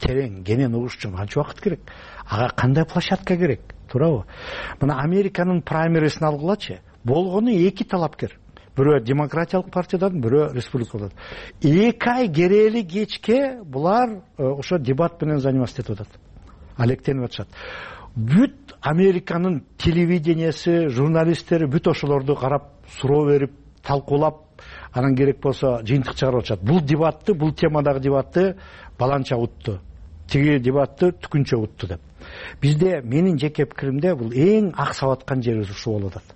терең, кенен угуш үчүн канча убакыт керек? Ага кандай площадка керек? Туурабы? Мына Американын праймерисин алгылачы. Болгону эки талапкер. Бирөө демократиялык партиядан, бирөө республикалык. эки ай керели кечке булар ошо дебат менен заниматься этип атат. Алектенип атышат. Бүт Американын телевидениясы, журналисттери бүт ошолорду карап, суроо берип, талкуулап, анан керек болсо жыйынтык чыгарып атышат. Бул дебатты, бул темадагы дебатты баланча утту. Тиги дебатты түкүнчө утту деп. Бизде менин жеке пикиримде бул эң аксап аткан жерибиз ушул болуп атат.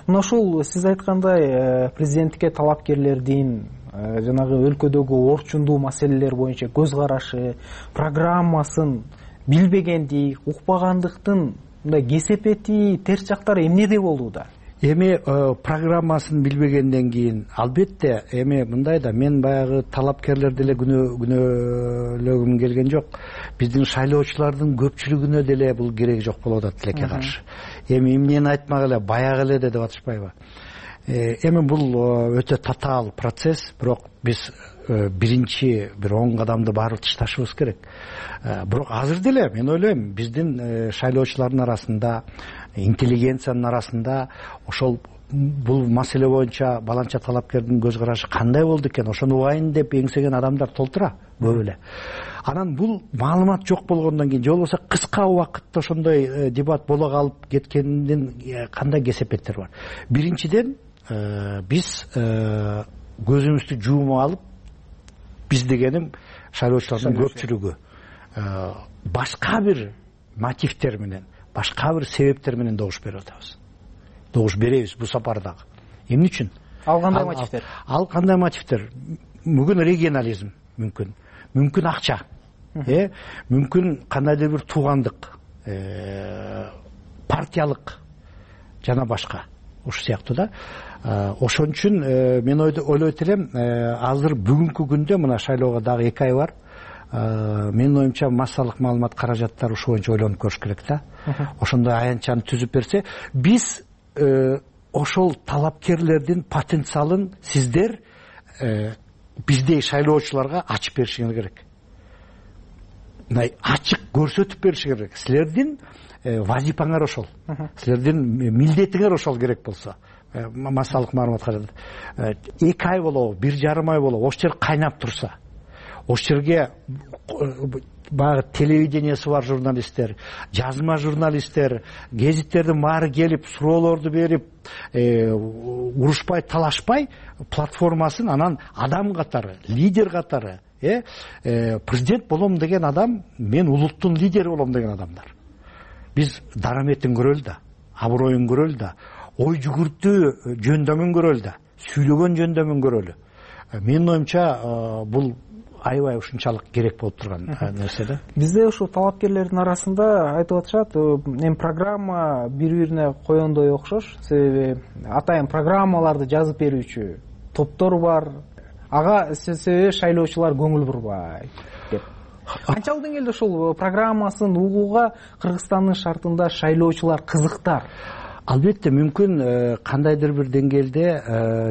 Мына ушул сиз айткандай президенттикке талапкерлердин жанагы өлкөдөгү орчундуу маселелер боюнча көз карашы, программасын билбегендик, укпагандыктын мындай кесепети, терс жактары эмнеде болууда? Эми программасын билбегенден кийин албетте эми мындай да, мен баягы талапкерлер деле күнөөлөгүм келген жок. Биздин шайлоочулардын көпчүлүгүнө деле бул кереги жок болуп атат тилекке каршы. Эми эмнени айтмак эле, баягы эле деп атышпайбы? Эми бул өтө татаал процесс, бирок биз биринчи бир он кадамды барып ташташыбыз керек. Бирок азыр деле мен ойлойм, биздин шайлоочулардын арасында, интеллигенциянын арасында ошол бул маселе боюнча баланча талапкердин көз карашы кандай болду экен, ошону угайын деп эңсеген адамдар толтура көп эле. Анан бул маалымат жок болгондон кийин же болбосо кыска убакытта ошондой дебат боло калып кеткендин кандай кесепеттер бар? Биринчиден биз көзүбүздү жуумуп алып биз дегеним шайлоочулардын көпчүлүгү башка бир мотивдер менен, башка бир себептер менен добуш берип атабыз. Добуш беребиз бул сапар дагы. Эмне үчүн? Ал кандай мотивдер? Ал кандай мотивдер? Мүмкүн регионализм, мүмкүн, мүмкүн акча, э, мүмкүн кандайдыр бир туугандык, партиялык жана башка. Ошол сыяктуу да. Ошон үчүн мен ойлойт элем, азыр бүгүнкү күндө мына шайлоого дагы эки ай бар. Менин оюмча массалык маалымат каражаттары ушул боюнча ойлонуп көрүш керек да. Ошондой аянтчаны түзүп берсе, биз ошол талапкерлердин потенциалын сиздер биздей шайлоочуларга ачып беришиңер керек. Мындай ачык көрсөтүп беришиңер керек. Силердин вазипаңар ошол. Силердин милдетиңер ошол керек болсо. Массалык маалымат каражаты эки ай болобу, бир жарым ай болобу, ошол жер кайнап турса, ошол жерге баягы телевидениясы бар журналисттер, жазма журналисттер, гезиттердин баары келип, суроолорду берип, урушпай, талашпай, платформасын анан адам катары, лидер катары, э, президент болом деген адам, мен улуттун лидери болом деген адамдар. Биз дараметин көрөлү да, аброюн көрөлү да, ой жүгүртүү жөндөмүн көрөлү да, сүйлөгөн жөндөмүн көрөлү. Менин оюмча бул аябай ушунчалык керек болуп турган нерсе да. Бизде ушул талапкерлердин арасында айтып атышат, эми программа бири-бирине коёндой окшош, себеби атайын программаларды жазып берүүчү топтор бар. Ага себеби шайлоочулар көңүл бурбай деп. Канчалык деңгээлде ушул программасын угууга Кыргызстандын шартында шайлоочулар кызыктар? Албетте, мүмкүн кандайдыр бир деңгээлде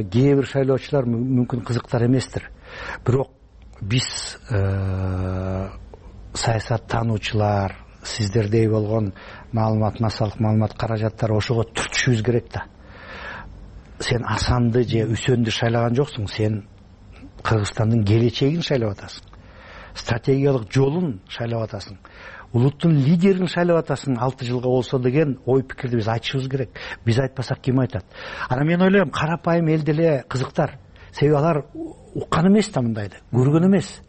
кээ бир шайлоочулар мүмкүн кызыктар эместир. Бирок биз саясаттануучулар, сиздердей болгон маалымат, массалык маалымат каражаттары ошого түртүшүбүз керек да. Сен Асанды же Үсөндү шайлаган жоксуң, сен Кыргызстандын келечегин шайлап атасың. Стратегиялык жолун шайлап атасың. Улуттун лидерин шайлап атасың алты жылга болсо деген ой пикирди биз айтышыбыз керек. Биз айтпасак ким айтат? Анан мен ойлойм, карапайым эл деле кызыктар. Себеби алар уккан эмес да мындайды, көргөн эмес.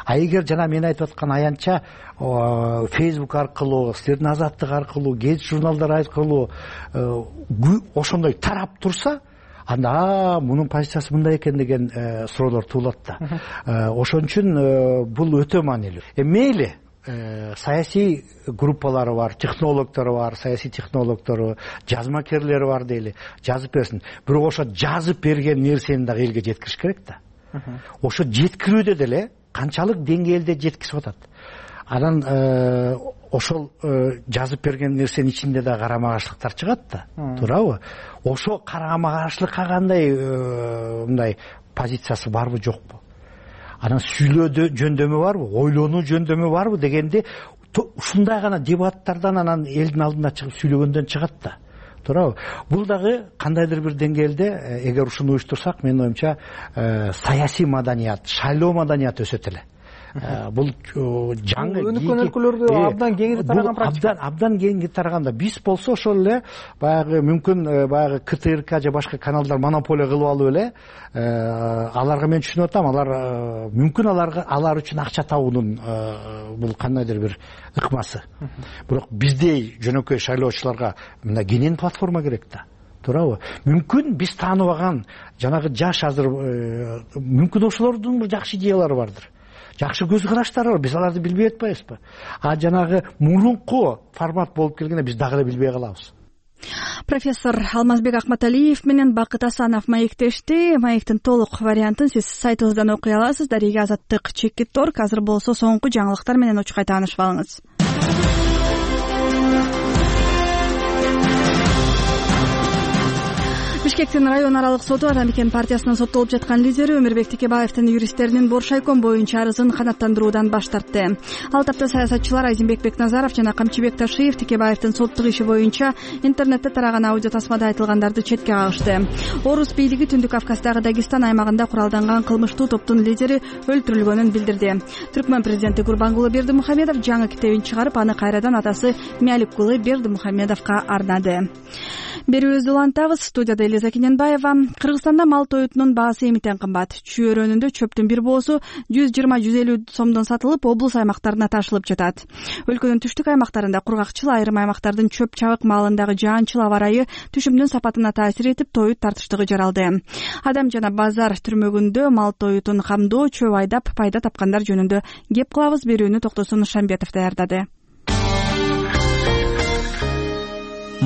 А эгер жана мен айтып аткан аянтча Facebook аркылуу, силердин Азаттык аркылуу, гезит журналдар аркылуу ошондой тарап турса, анда мунун позициясы мындай экен деген суроолор туулат да. Ошон үчүн бул өтө маанилүү. Мейли саясий группалары бар, технологдору бар, саясий технологдору, жазмакерлери бар дейли, жазып берсин. Бирок ошо жазып берген нерсени дагы элге жеткириш керек да. Ошо жеткирүүдө деле канчалык деңгээлде жеткизип атат. Анан ошол жазып берген нерсенин ичинде да карама каршылыктар чыгат да, туурабы? Ошо карама каршылыкка кандай мындай позициясы барбы жокпу? Анан сүйлөө жөндөмү барбы, ойлонуу жөндөмү барбы дегенде ушундай гана дебаттардан анан элдин алдына чыгып сүйлөгөндөн чыгат да. Туурабы? Бул дагы кандайдыр бир деңгээлде эгер ушуну уюштурсак, менин оюмча саясий маданият, шайлоо маданияты өсөт эле. Бул жаңы өнүккөн өлкөлөрдө абдан кеңири тараган практика. Абдан абдан кеңири тараганда. Биз болсо ошол эле баягы мүмкүн баягы К Т Р К же башка каналдар монополия кылып алып эле аларга мен түшүнүп атам, алар мүмкүн аларга алар үчүн акча табуунун бул кандайдыр бир ыкмасы. Бирок биздей жөнөкөй шайлоочуларга мындай кенен платформа керек да. Туурабы? Мүмкүн биз тааныбаган жанагы жаш азыр мүмкүн ошолордун бир жакшы идеялары бардыр. Жакшы көз караштары бар, биз аларды билбей атпайбызбы? А жанагы мурунку формат болуп келгенде биз дагы эле билбей калабыз. Профессор Алмазбек Акматалиев менен Бакыт Асанов маектешти. Маектин толук вариантын сиз сайтыбыздан окуй аласыз. Дарига Азаттык чекит торг. Азыр болсо соңку жаңылыктар менен учкай таанышып алыңыз. Бишкектин район аралык соту Ата Мекен партиясынын соттолуп жаткан лидери Өмүрбек Текебаевдин юристтеринин Боршайком боюнча арызын канааттандыруудан баш тартты. Ал тапта саясатчылар Айзимбек Бекназаров жана Камчыбек Ташиев Текебаевдин соттук иши боюнча интернетте тараган аудио тасмада айтылгандарды четке кагышты. Орус бийлиги Түндүк Кавказдагы Дагестан аймагында куралданган кылмыштуу топтун лидери өлтүрүлгөнүн билдирди. Түркмөн президенти Курбангулы Бердимухамедов жаңы китебин чыгарып, аны кайрадан атасы Мяликкулы Бердимухамедовго арнады. Берүүбүздү улантабыз. Студияда Роза Кененбаева. Кыргызстанда мал тоютунун баасы эмитен кымбат. Чүй өрөөнүндө чөптүн бир боосу жүз жыйырма жүз элүү сомдон сатылып, облус аймактарына ташылып жатат. Өлкөнүн түштүк аймактарында кургакчыл, айрым аймактардын чөп чабык маалындагы жаанчыл аба ырайы түшүмдүн сапатына таасир этип, тоют тартыштыгы жаралды. Адам жана базар түрмөгүндө мал тоютун камдоо, чөп айдап пайда тапкандар жөнүндө кеп кылабыз. Берүүнү Токтосун Шамбетов даярдады.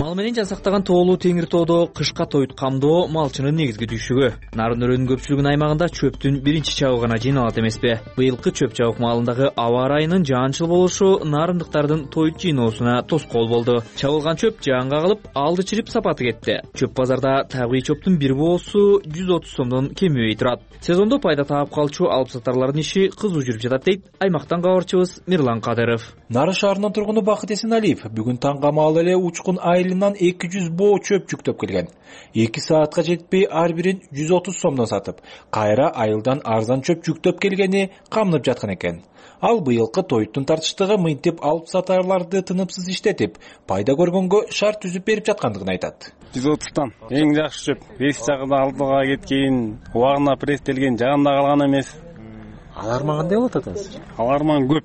Мал менен жасактаган тоолуу Теңир тоодо кышка тоют камдоо малчынын негизги түйшүгү. Нарын өрөөнүн көпчүлүгүнүн аймагында чөптүн биринчи чабыгы гана жыйналат эмеспи? Быйылкы чөп чабык маалындагы аба ырайынын жаанчыл болушу нарындыктардын тоют жыйноосуна тоскоол болду. Чабылган чөп жаанга кагылып, алды чирип сапаты кетти. Чөп базарда табигый чөптүн бир боосу жүз отуз сомдон кемебей турат. Сезондо пайда таап калчу алып сатарлардын иши кызуу жүрүп жатат дейт аймактан кабарчыбыз Мирлан Кадыров. Нарын шаарынын тургуну Бакыт Эсеналиев бүгүн таңга маал эле Учкун айылынан эки жүз боо чөп жүктөп келген. эки саатка жетпей ар бирин жүз отуз сомдон сатып, кайра айылдан арзан чөп жүктөп келгени камнып жаткан экен. Ал быйылкы тоюттун тартыштыгы мынтип алып сатарларды тынымсыз иштетип, пайда көргөнгө шарт түзүп берип жаткандыгын айтат. жүз отуздан эң жакшы чөп. Беш жагы да алдыга кеткен, убагына пресстелген, жагында калган эмес. Алар мага кандай болот атасыз? Алар мага көп.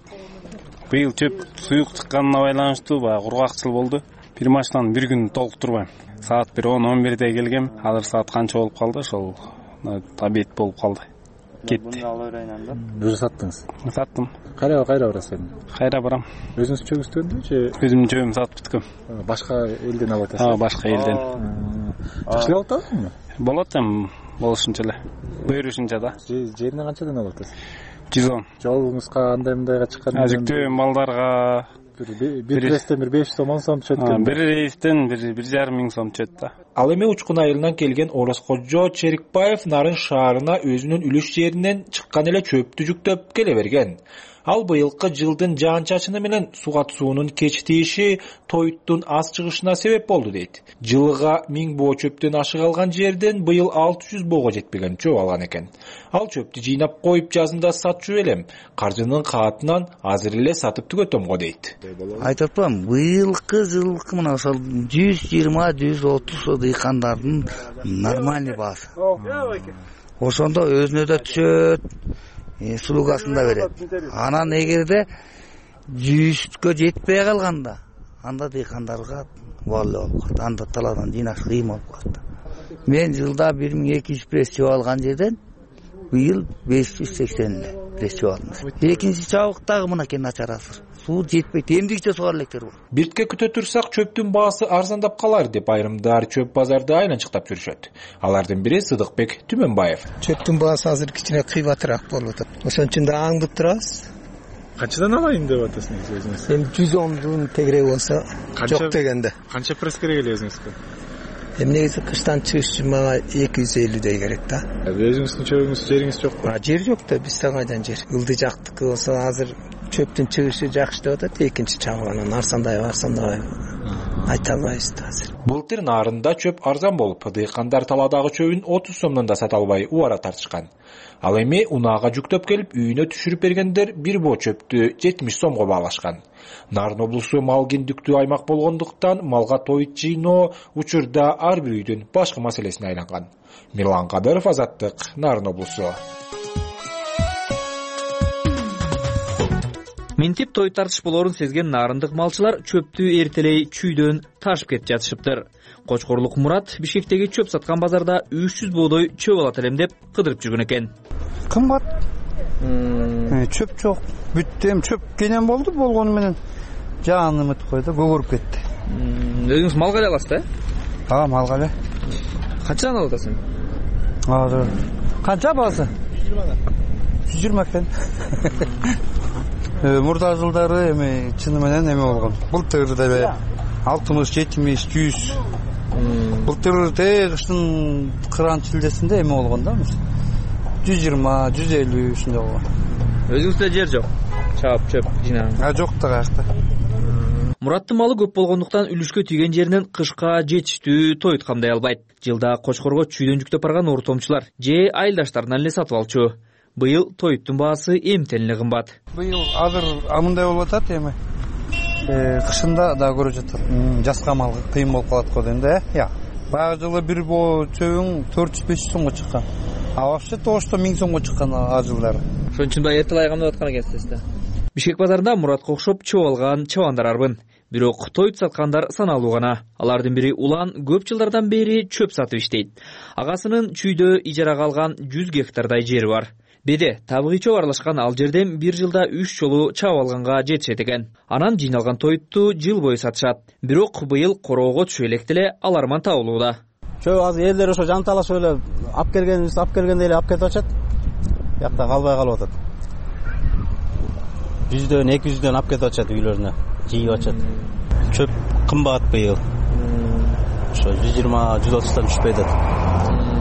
Быйыл чөп суюк чыкканына байланыштуу баягы кургакчыл болду. Бир машинаны бир күн толуктурбайм. Саат бир он он бирде келгем. Азыр саат канча болуп калды? Ошол обед болуп калды. Кетти. Өзү саттыңыз? Саттым. Кайра кайра барасыз? Кайра барам. Өзүңүз чөгүстөндү же? Өзүмдүн чөгүмдү сатып бүткөм. Башка элден алып атасыз? А, башка элден. Жакшы болуп атабызбы? Болот эми, болушунча эле. Буйрушунча да. Жерине канчадан алып атасыз? жүз он. Жолуңузга андай мындайга чыккан? Жүктөбөм балдарга. Бир рейстен бир беш сом он сом түшөт экен. Бир рейстен бир бир жарым миң сом түшөт да. Ал эми Учкун айылынан келген Орозкожо Черикбаев Нарын шаарына өзүнүн үлүш жеринен чыккан эле чөптү жүктөп келе берген. Ал быйылкы жылдын жаан-чачыны менен сугат суунун кеч тийиши тоюттун аз чыгышына себеп болду дейт. Жылыга миң боо чөптөн ашык алган жерден быйыл алты жүз боого жетпеген чөп алган экен. Ал чөптү жыйнап коюп жазында сатчу элем. Каржынын каатынан азыр эле сатып түгөтөм го дейт. Айтып атпам, быйылкы жылкы мына ошол жүз жыйырма жүз отуз дыйкандардын нормальный баасы. Ошондо өзүнө да түшөт, сулугасында берет. Анан эгерде жүзгө жетпей калганда, анда дыйкандарга баллы болуп калат. Анда талаадан жыйнаш кыйын болуп калат. Мен жылда бир миң эки жүз пресс чөп алган жерден быйыл беш жүз сексен пресс чөп алдым. Экинчи чабыктагы мынакей начарасы. Суу жетпейт, эмдигиче сугар электер бар. Биртке күтө турсак чөптүн баасы арзандап калар деп айрымдар чөп базарды айланчыктап жүрүшөт. Алардын бири Сыдыкбек Түмөнбаев. Чөптүн баасы азыр кичине кыйбатыраак болуп атат. Ошон үчүн да аңдып турабыз. Канчадан алайын деп атасыңыз өзүңүз? Эми жүз ондун тегерек болсо жок дегенде. Канча пресс керек эле өзүңүзгө? Эми негизи кыштан чыгыш үчүн мага эки жүз элүүдөй керек да. Өзүңүздүн чөбүңүз жериңиз жокпу? Жер жок да, бизде кайдан жер. Ылдый жактыкы болсо азыр чөптүн чыгышы жакшы деп атат, экинчи чабыгынан арзандай арзандай айта албайбыз да азыр. Былтыр Нарында чөп арзан болуп, дыйкандар талаадагы чөбүн отуз сомдон да сата албай убара тартышкан. Ал эми унаага жүктөп келип, үйүнө түшүрүп бергендер бир боо чөптү жетимиш сомго баалашкан. Нарын облусу мал кендиктүү аймак болгондуктан малга тоют жыйноо учурда ар бир үйдүн башкы маселесине айланган. Мирлан Кадыров, Азаттык, Нарын облусу. Минтип той тартыш болорун сезген нарындык малчылар чөптү эртелей чүйдөн ташып кетип жатышыптыр. Кочкорлук Мурат Бишкектеги чөп саткан базарда үч жүз боодой чөп алат элем деп кыдырып жүргөн экен. Кымбат. Чөп жок. Бүттү, эми чөп кенен болду, болгону менен жааны мыт койду, көгөрүп кетти. Өзүңүз малга эле аласыз да? А, малга эле. Канчадан алып атасың? Азыр. Канча баасы? жүз жыйырма экен. Мурда жылдары эми чыны менен эме болгон. Былтыр деле алтымыш, жетимиш, жүз. Былтыр те кыштын кыран чилдесинде эме болгон да. жүз жыйырма, жүз элүү ушундай болгон. Өзүңүздө жер жок. Чаап чөп жыйнаган. А жок да каякта. Мураттын малы көп болгондуктан үлүшкө тийген жеринен кышка жетиштүү тоют камдай албайт. Жылда Кочкорго чүйдөн жүктөп барган ортомчулар же айылдаштарынан эле сатып алчу. Быйыл тоюттун баасы эмтен эле кымбат. Быйыл азыр амындай болуп атат эми. Кышында да көрүп жатат. Жаска мал кыйын болуп калат го дейм да, э? Баягы жылы бир боо чөбүң төрт жүз беш жүз сомго чыккан. А вообще тошто миң сомго чыккан а жылдары. Ошон үчүн да эртелай камдап аткан экенсиз да. Бишкек базарында Муратка окшоп чөп алган чабандар арбын. Бирок тоют саткандар саналуу гана. Алардын бири Улан көп жылдардан бери чөп сатып иштейт. Агасынын чүйдө ижарага алган жүз гектардай жери бар. Беде табыгый чөп аралашкан ал жерден бир жылда үч жолу чабып алганга жетишет экен. Анан жыйналган тоютту жыл бою сатышат. Бирок быйыл короого түшө элек деле аларман табылууда. Чөп азыр элдер ошо жанталашып эле алып келгенибиз алып келгенде эле алып кетип атышат. Биякта калбай калып атат. жүздөн эки жүздөн алып кетип атышат үйлөрүнө. Жыйып атышат. Чөп кымбат быйыл. Ошо жүз жыйырма жүз отуздан түшпөй атат.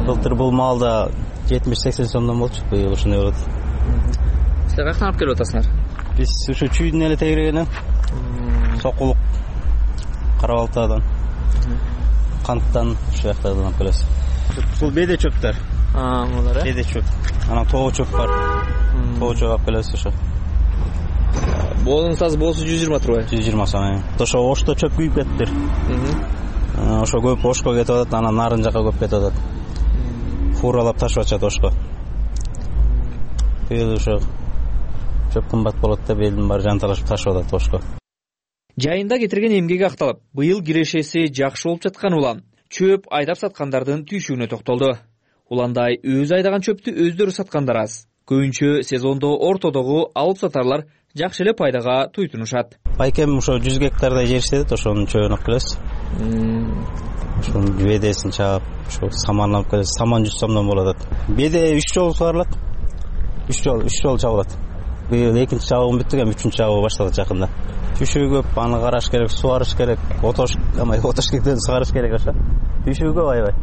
Былтыр бул маалда жетимиш сексен сомдон болчу, быйыл ушундай болот. Силер каяктан алып келип атасыңар? Биз ушу чүйдүн эле тегерегинен. Сокулук, Карабалтадан, Канттан ушу жактардан алып келебиз. Бул беде чөптөр. А, булар э? Беде чөп. Анан тоо чөп бар. Тоо чөп алып келебиз ошо. Боонун сазы боосу жүз жыйырма турбайбы? жүз жыйырма сом. Ошо ошто чөп күйүп кетиптир. Ошо көп ошко кетип атат, анан нарын жака көп кетип атат. Фуралап ташып атышат ошко. Быйыл ошо чөп кымбат болот деп элдин баары жанталашып ташып атат ошко. Жайында кетирген эмгеги акталып, быйыл кирешеси жакшы болуп жаткан Улан чөп айдап саткандардын түйшүгүнө токтолду. Уландай өз айдаган чөптү өздөрү саткандар аз. Көбүнчө сезондо ортодогу алып сатарлар жакшы эле пайдага туйтунушат. Байкем ошо жүз гектардай жер иштедит, ошонун чөбүн алып келебиз. Ошонун бедесин чаап, ошо саман алып келебиз. Саман жүз сомдон болот. Беде үч жолу сугарылат. үч жолу, үч жолу чабылат. Быйыл экинчи чабыгын бүттүк, эми үчүнчү чабыгы башталат жакында. Түйшүгү көп, аны караш керек, сугарыш керек, отош, амай отош кектен сугарыш керек ошо. Түйшүгү көп аябай.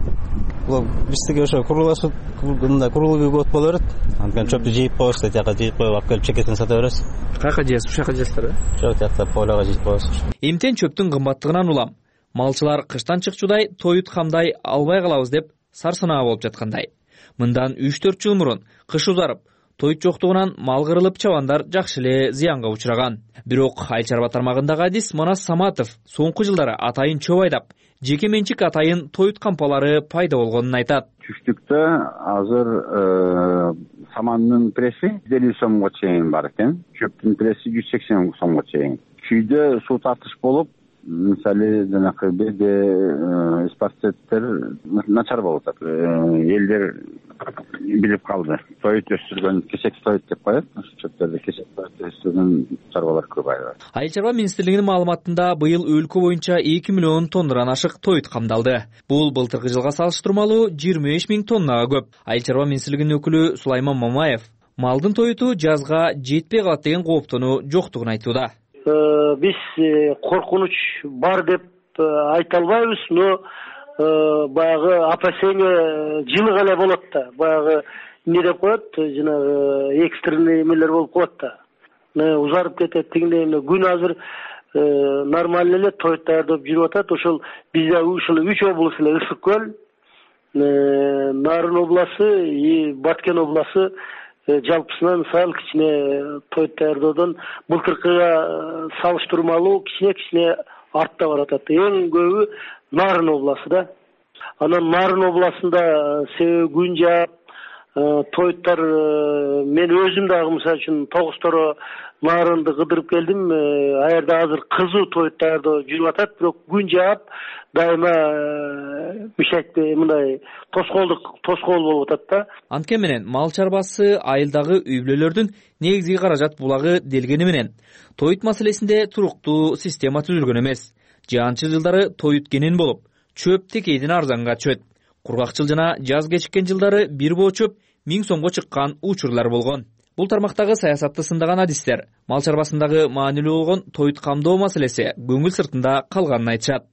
Бул биздики ошо куруласып, мындай курулугу көп боло берет. Анткени чөптү жыйып коебуз, тияка жыйып коюп алып келип чекетин сата беребиз. Каяка жыясыз? Ушул жака жыясыздар, э? Жок, тиякта полага жыйып коебуз. Эмтен чөптүн кымбаттыгынан улам. Малчылар кыштан чыкчудай тоют камдай албай калабыз деп сарсанаа болуп жаткандай. Мындан үч төрт жыл мурун кыш узарып, тоют жоктугунан мал кырылып чабандар жакшы эле зыянга учураган. Бирок айыл чарба тармагындагы адис Манас Саматов соңку жылдары атайын чөп айдап, жеке менчик атайын тоют кампалары пайда болгонун айтат. Түштүктө азыр самандын пресси жүз элүү сомго чейин бар экен, чөптүн пресси жүз сексен сомго чейин. Күйдө суу тартыш болуп, мисалы жанакы беде спортсеттер начар болуп атат. Элдер билип калды. Тоют өстүргөн кесек тоют деп коет. Ошо чөптөрдө кесек тоют өстүргөн чарбалар көп айылда. Айыл чарба министрлигинин маалыматында быйыл өлкө боюнча эки миллион тоннадан ашык тоют камдалды. Бул былтыркы жылга салыштырмалуу жыйырма беш миң тоннага көп. Айыл чарба министрлигинин өкүлү Сулайман Мамаев малдын тоюту жазга жетпей калат деген кооптонуу жоктугун айтууда. Биз коркунуч бар деп айта албайбыз, но баягы опасение жылы гана болот да. Баягы эмне деп коет, жанагы экстренный эмелер болуп калат да. Узарып кетет дегендей. Күн азыр нормально эле тоют даярдап жүрүп атат. Ошол бизде ушул үч область эле ысык көл, Нарын обласы и Баткен обласы жалпысынан сал кичине тоют даярдоодон былтыркыга салыштырмалуу кичине кичине артта баратат. Эң көбү Нарын обласы да. Анан Нарын областында себеби күн жаап, тоюттар мен өзүм дагы мисалы үчүн тогузторо Нарынды кыдырып келдим. Аерде азыр кызуу тоют даярдоо жүрүп атат, бирок күн жаап дайыма мишайтпей мындай тоскоолдук тоскоол болуп атат да. Анткени менен мал чарбасы айылдагы үй бүлөлөрдүн негизги каражат булагы делгени менен тоют маселесинде туруктуу система түзүлгөн эмес. Жаанчы жылдары тоют кенен болуп, чөп текейден арзанга түшөт. Кургакчыл жана жаз кечиккен жылдары бир боо чөп миң сомго чыккан учурлар болгон. Бул тармактагы саясатты сындаган адистер мал чарбасындагы маанилүү болгон тоют камдоо маселеси көңүл сыртында калганын айтышат.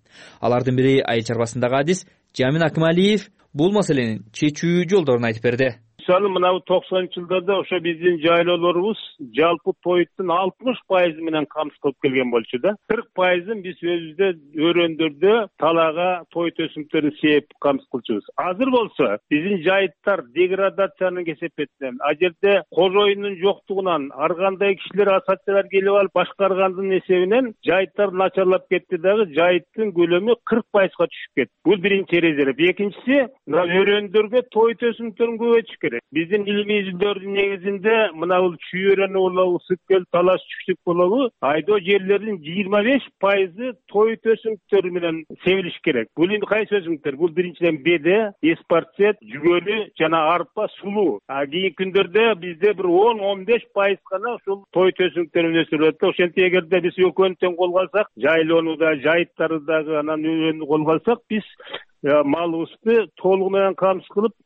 Алардын бири айыл чарбасындагы адис Жамин Акмалиев бул маселенин чечүү жолдорун айтып берди. мисалы мына токсонунчу жылдарда ошо биздин жайлоолорубуз жалпы тоюттун алтымыш пайызы менен камсыз кылып келген болчу да. кырк пайызын биз өзүбүздө өрөөндөрдө талаага той төсүмдөрүн сээп камсыз кылчубуз. Азыр болсо биздин жайыттар деградациянын кесепетинен, а жерде кожоюндун жоктугунан ар кандай кишилер ассоциациялар келип алып башкаргандын эсебинен жайыттар начарлап кетти дагы, жайыттын көлөмү кырк пайызга түшүп кетти. Бул биринчи эрежелер. Экинчиси, мына өрөөндөргө той төсүмдөрүн көбөйтүш керек. Биздин илимий изилдөөрдүн негизинде мына бул чүйөрөнү болобу, Сыккөл, Талаш, Чүксүк болобу, айдоо жерлердин жыйырма беш пайызы той төсүмдөрү менен себилиш керек. Бул эми кайсы өсүмдүктөр? Бул биринчиден беде, эспарцет, жүгөлү жана арпа, сулуу. А кийинки күндөрдө бизде бир он он беш пайыз гана ушул той төсүмдөрүн өсүрүлөт. Ошентип эгерде биз экөөнү тең колго алсак, жайлоону да, жайыттарды дагы анан өрөөнү колго алсак, биз малыбызды толугу менен камсыз кылып.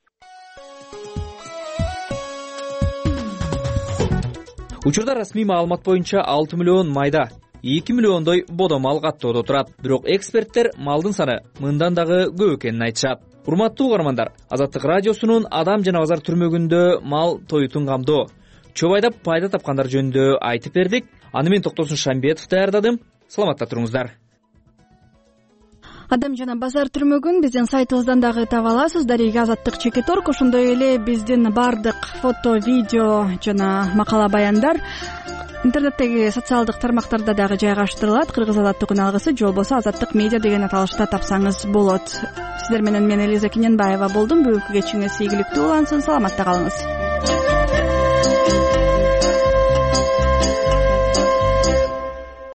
Учурда расмий маалымат боюнча алты миллион майда, эки миллиондой бодо мал каттоодо турат. Бирок эксперттер малдын саны мындан дагы көп экенин айтышат. Урматтуу угармандар, Азаттык радиосунун Адам жана базар түрмөгүндө мал тоютун камдоо, чөп айдап пайда тапкандар жөнүндө айтып бердик. Аны мен Токтосун Шамбетов даярдадым. Саламатта туруңуздар. Адам жана базар түрмөгүн биздин сайтыбыздан дагы таба аласыз. Дареги Азаттык чекит точка орг. Ошондой эле биздин бардык фото, видео жана макала баяндар интернеттеги социалдык тармактарда дагы жайгаштырылат. Кыргыз Азаттык күн алгысы же болбосо Азаттык медиа деген аталышта тапсаңыз болот. Сиздер менен мен Элиза Кененбаева болдум. Бүгүнкү кечиңиз ийгиликтүү улансын. Саламатта калыңыз.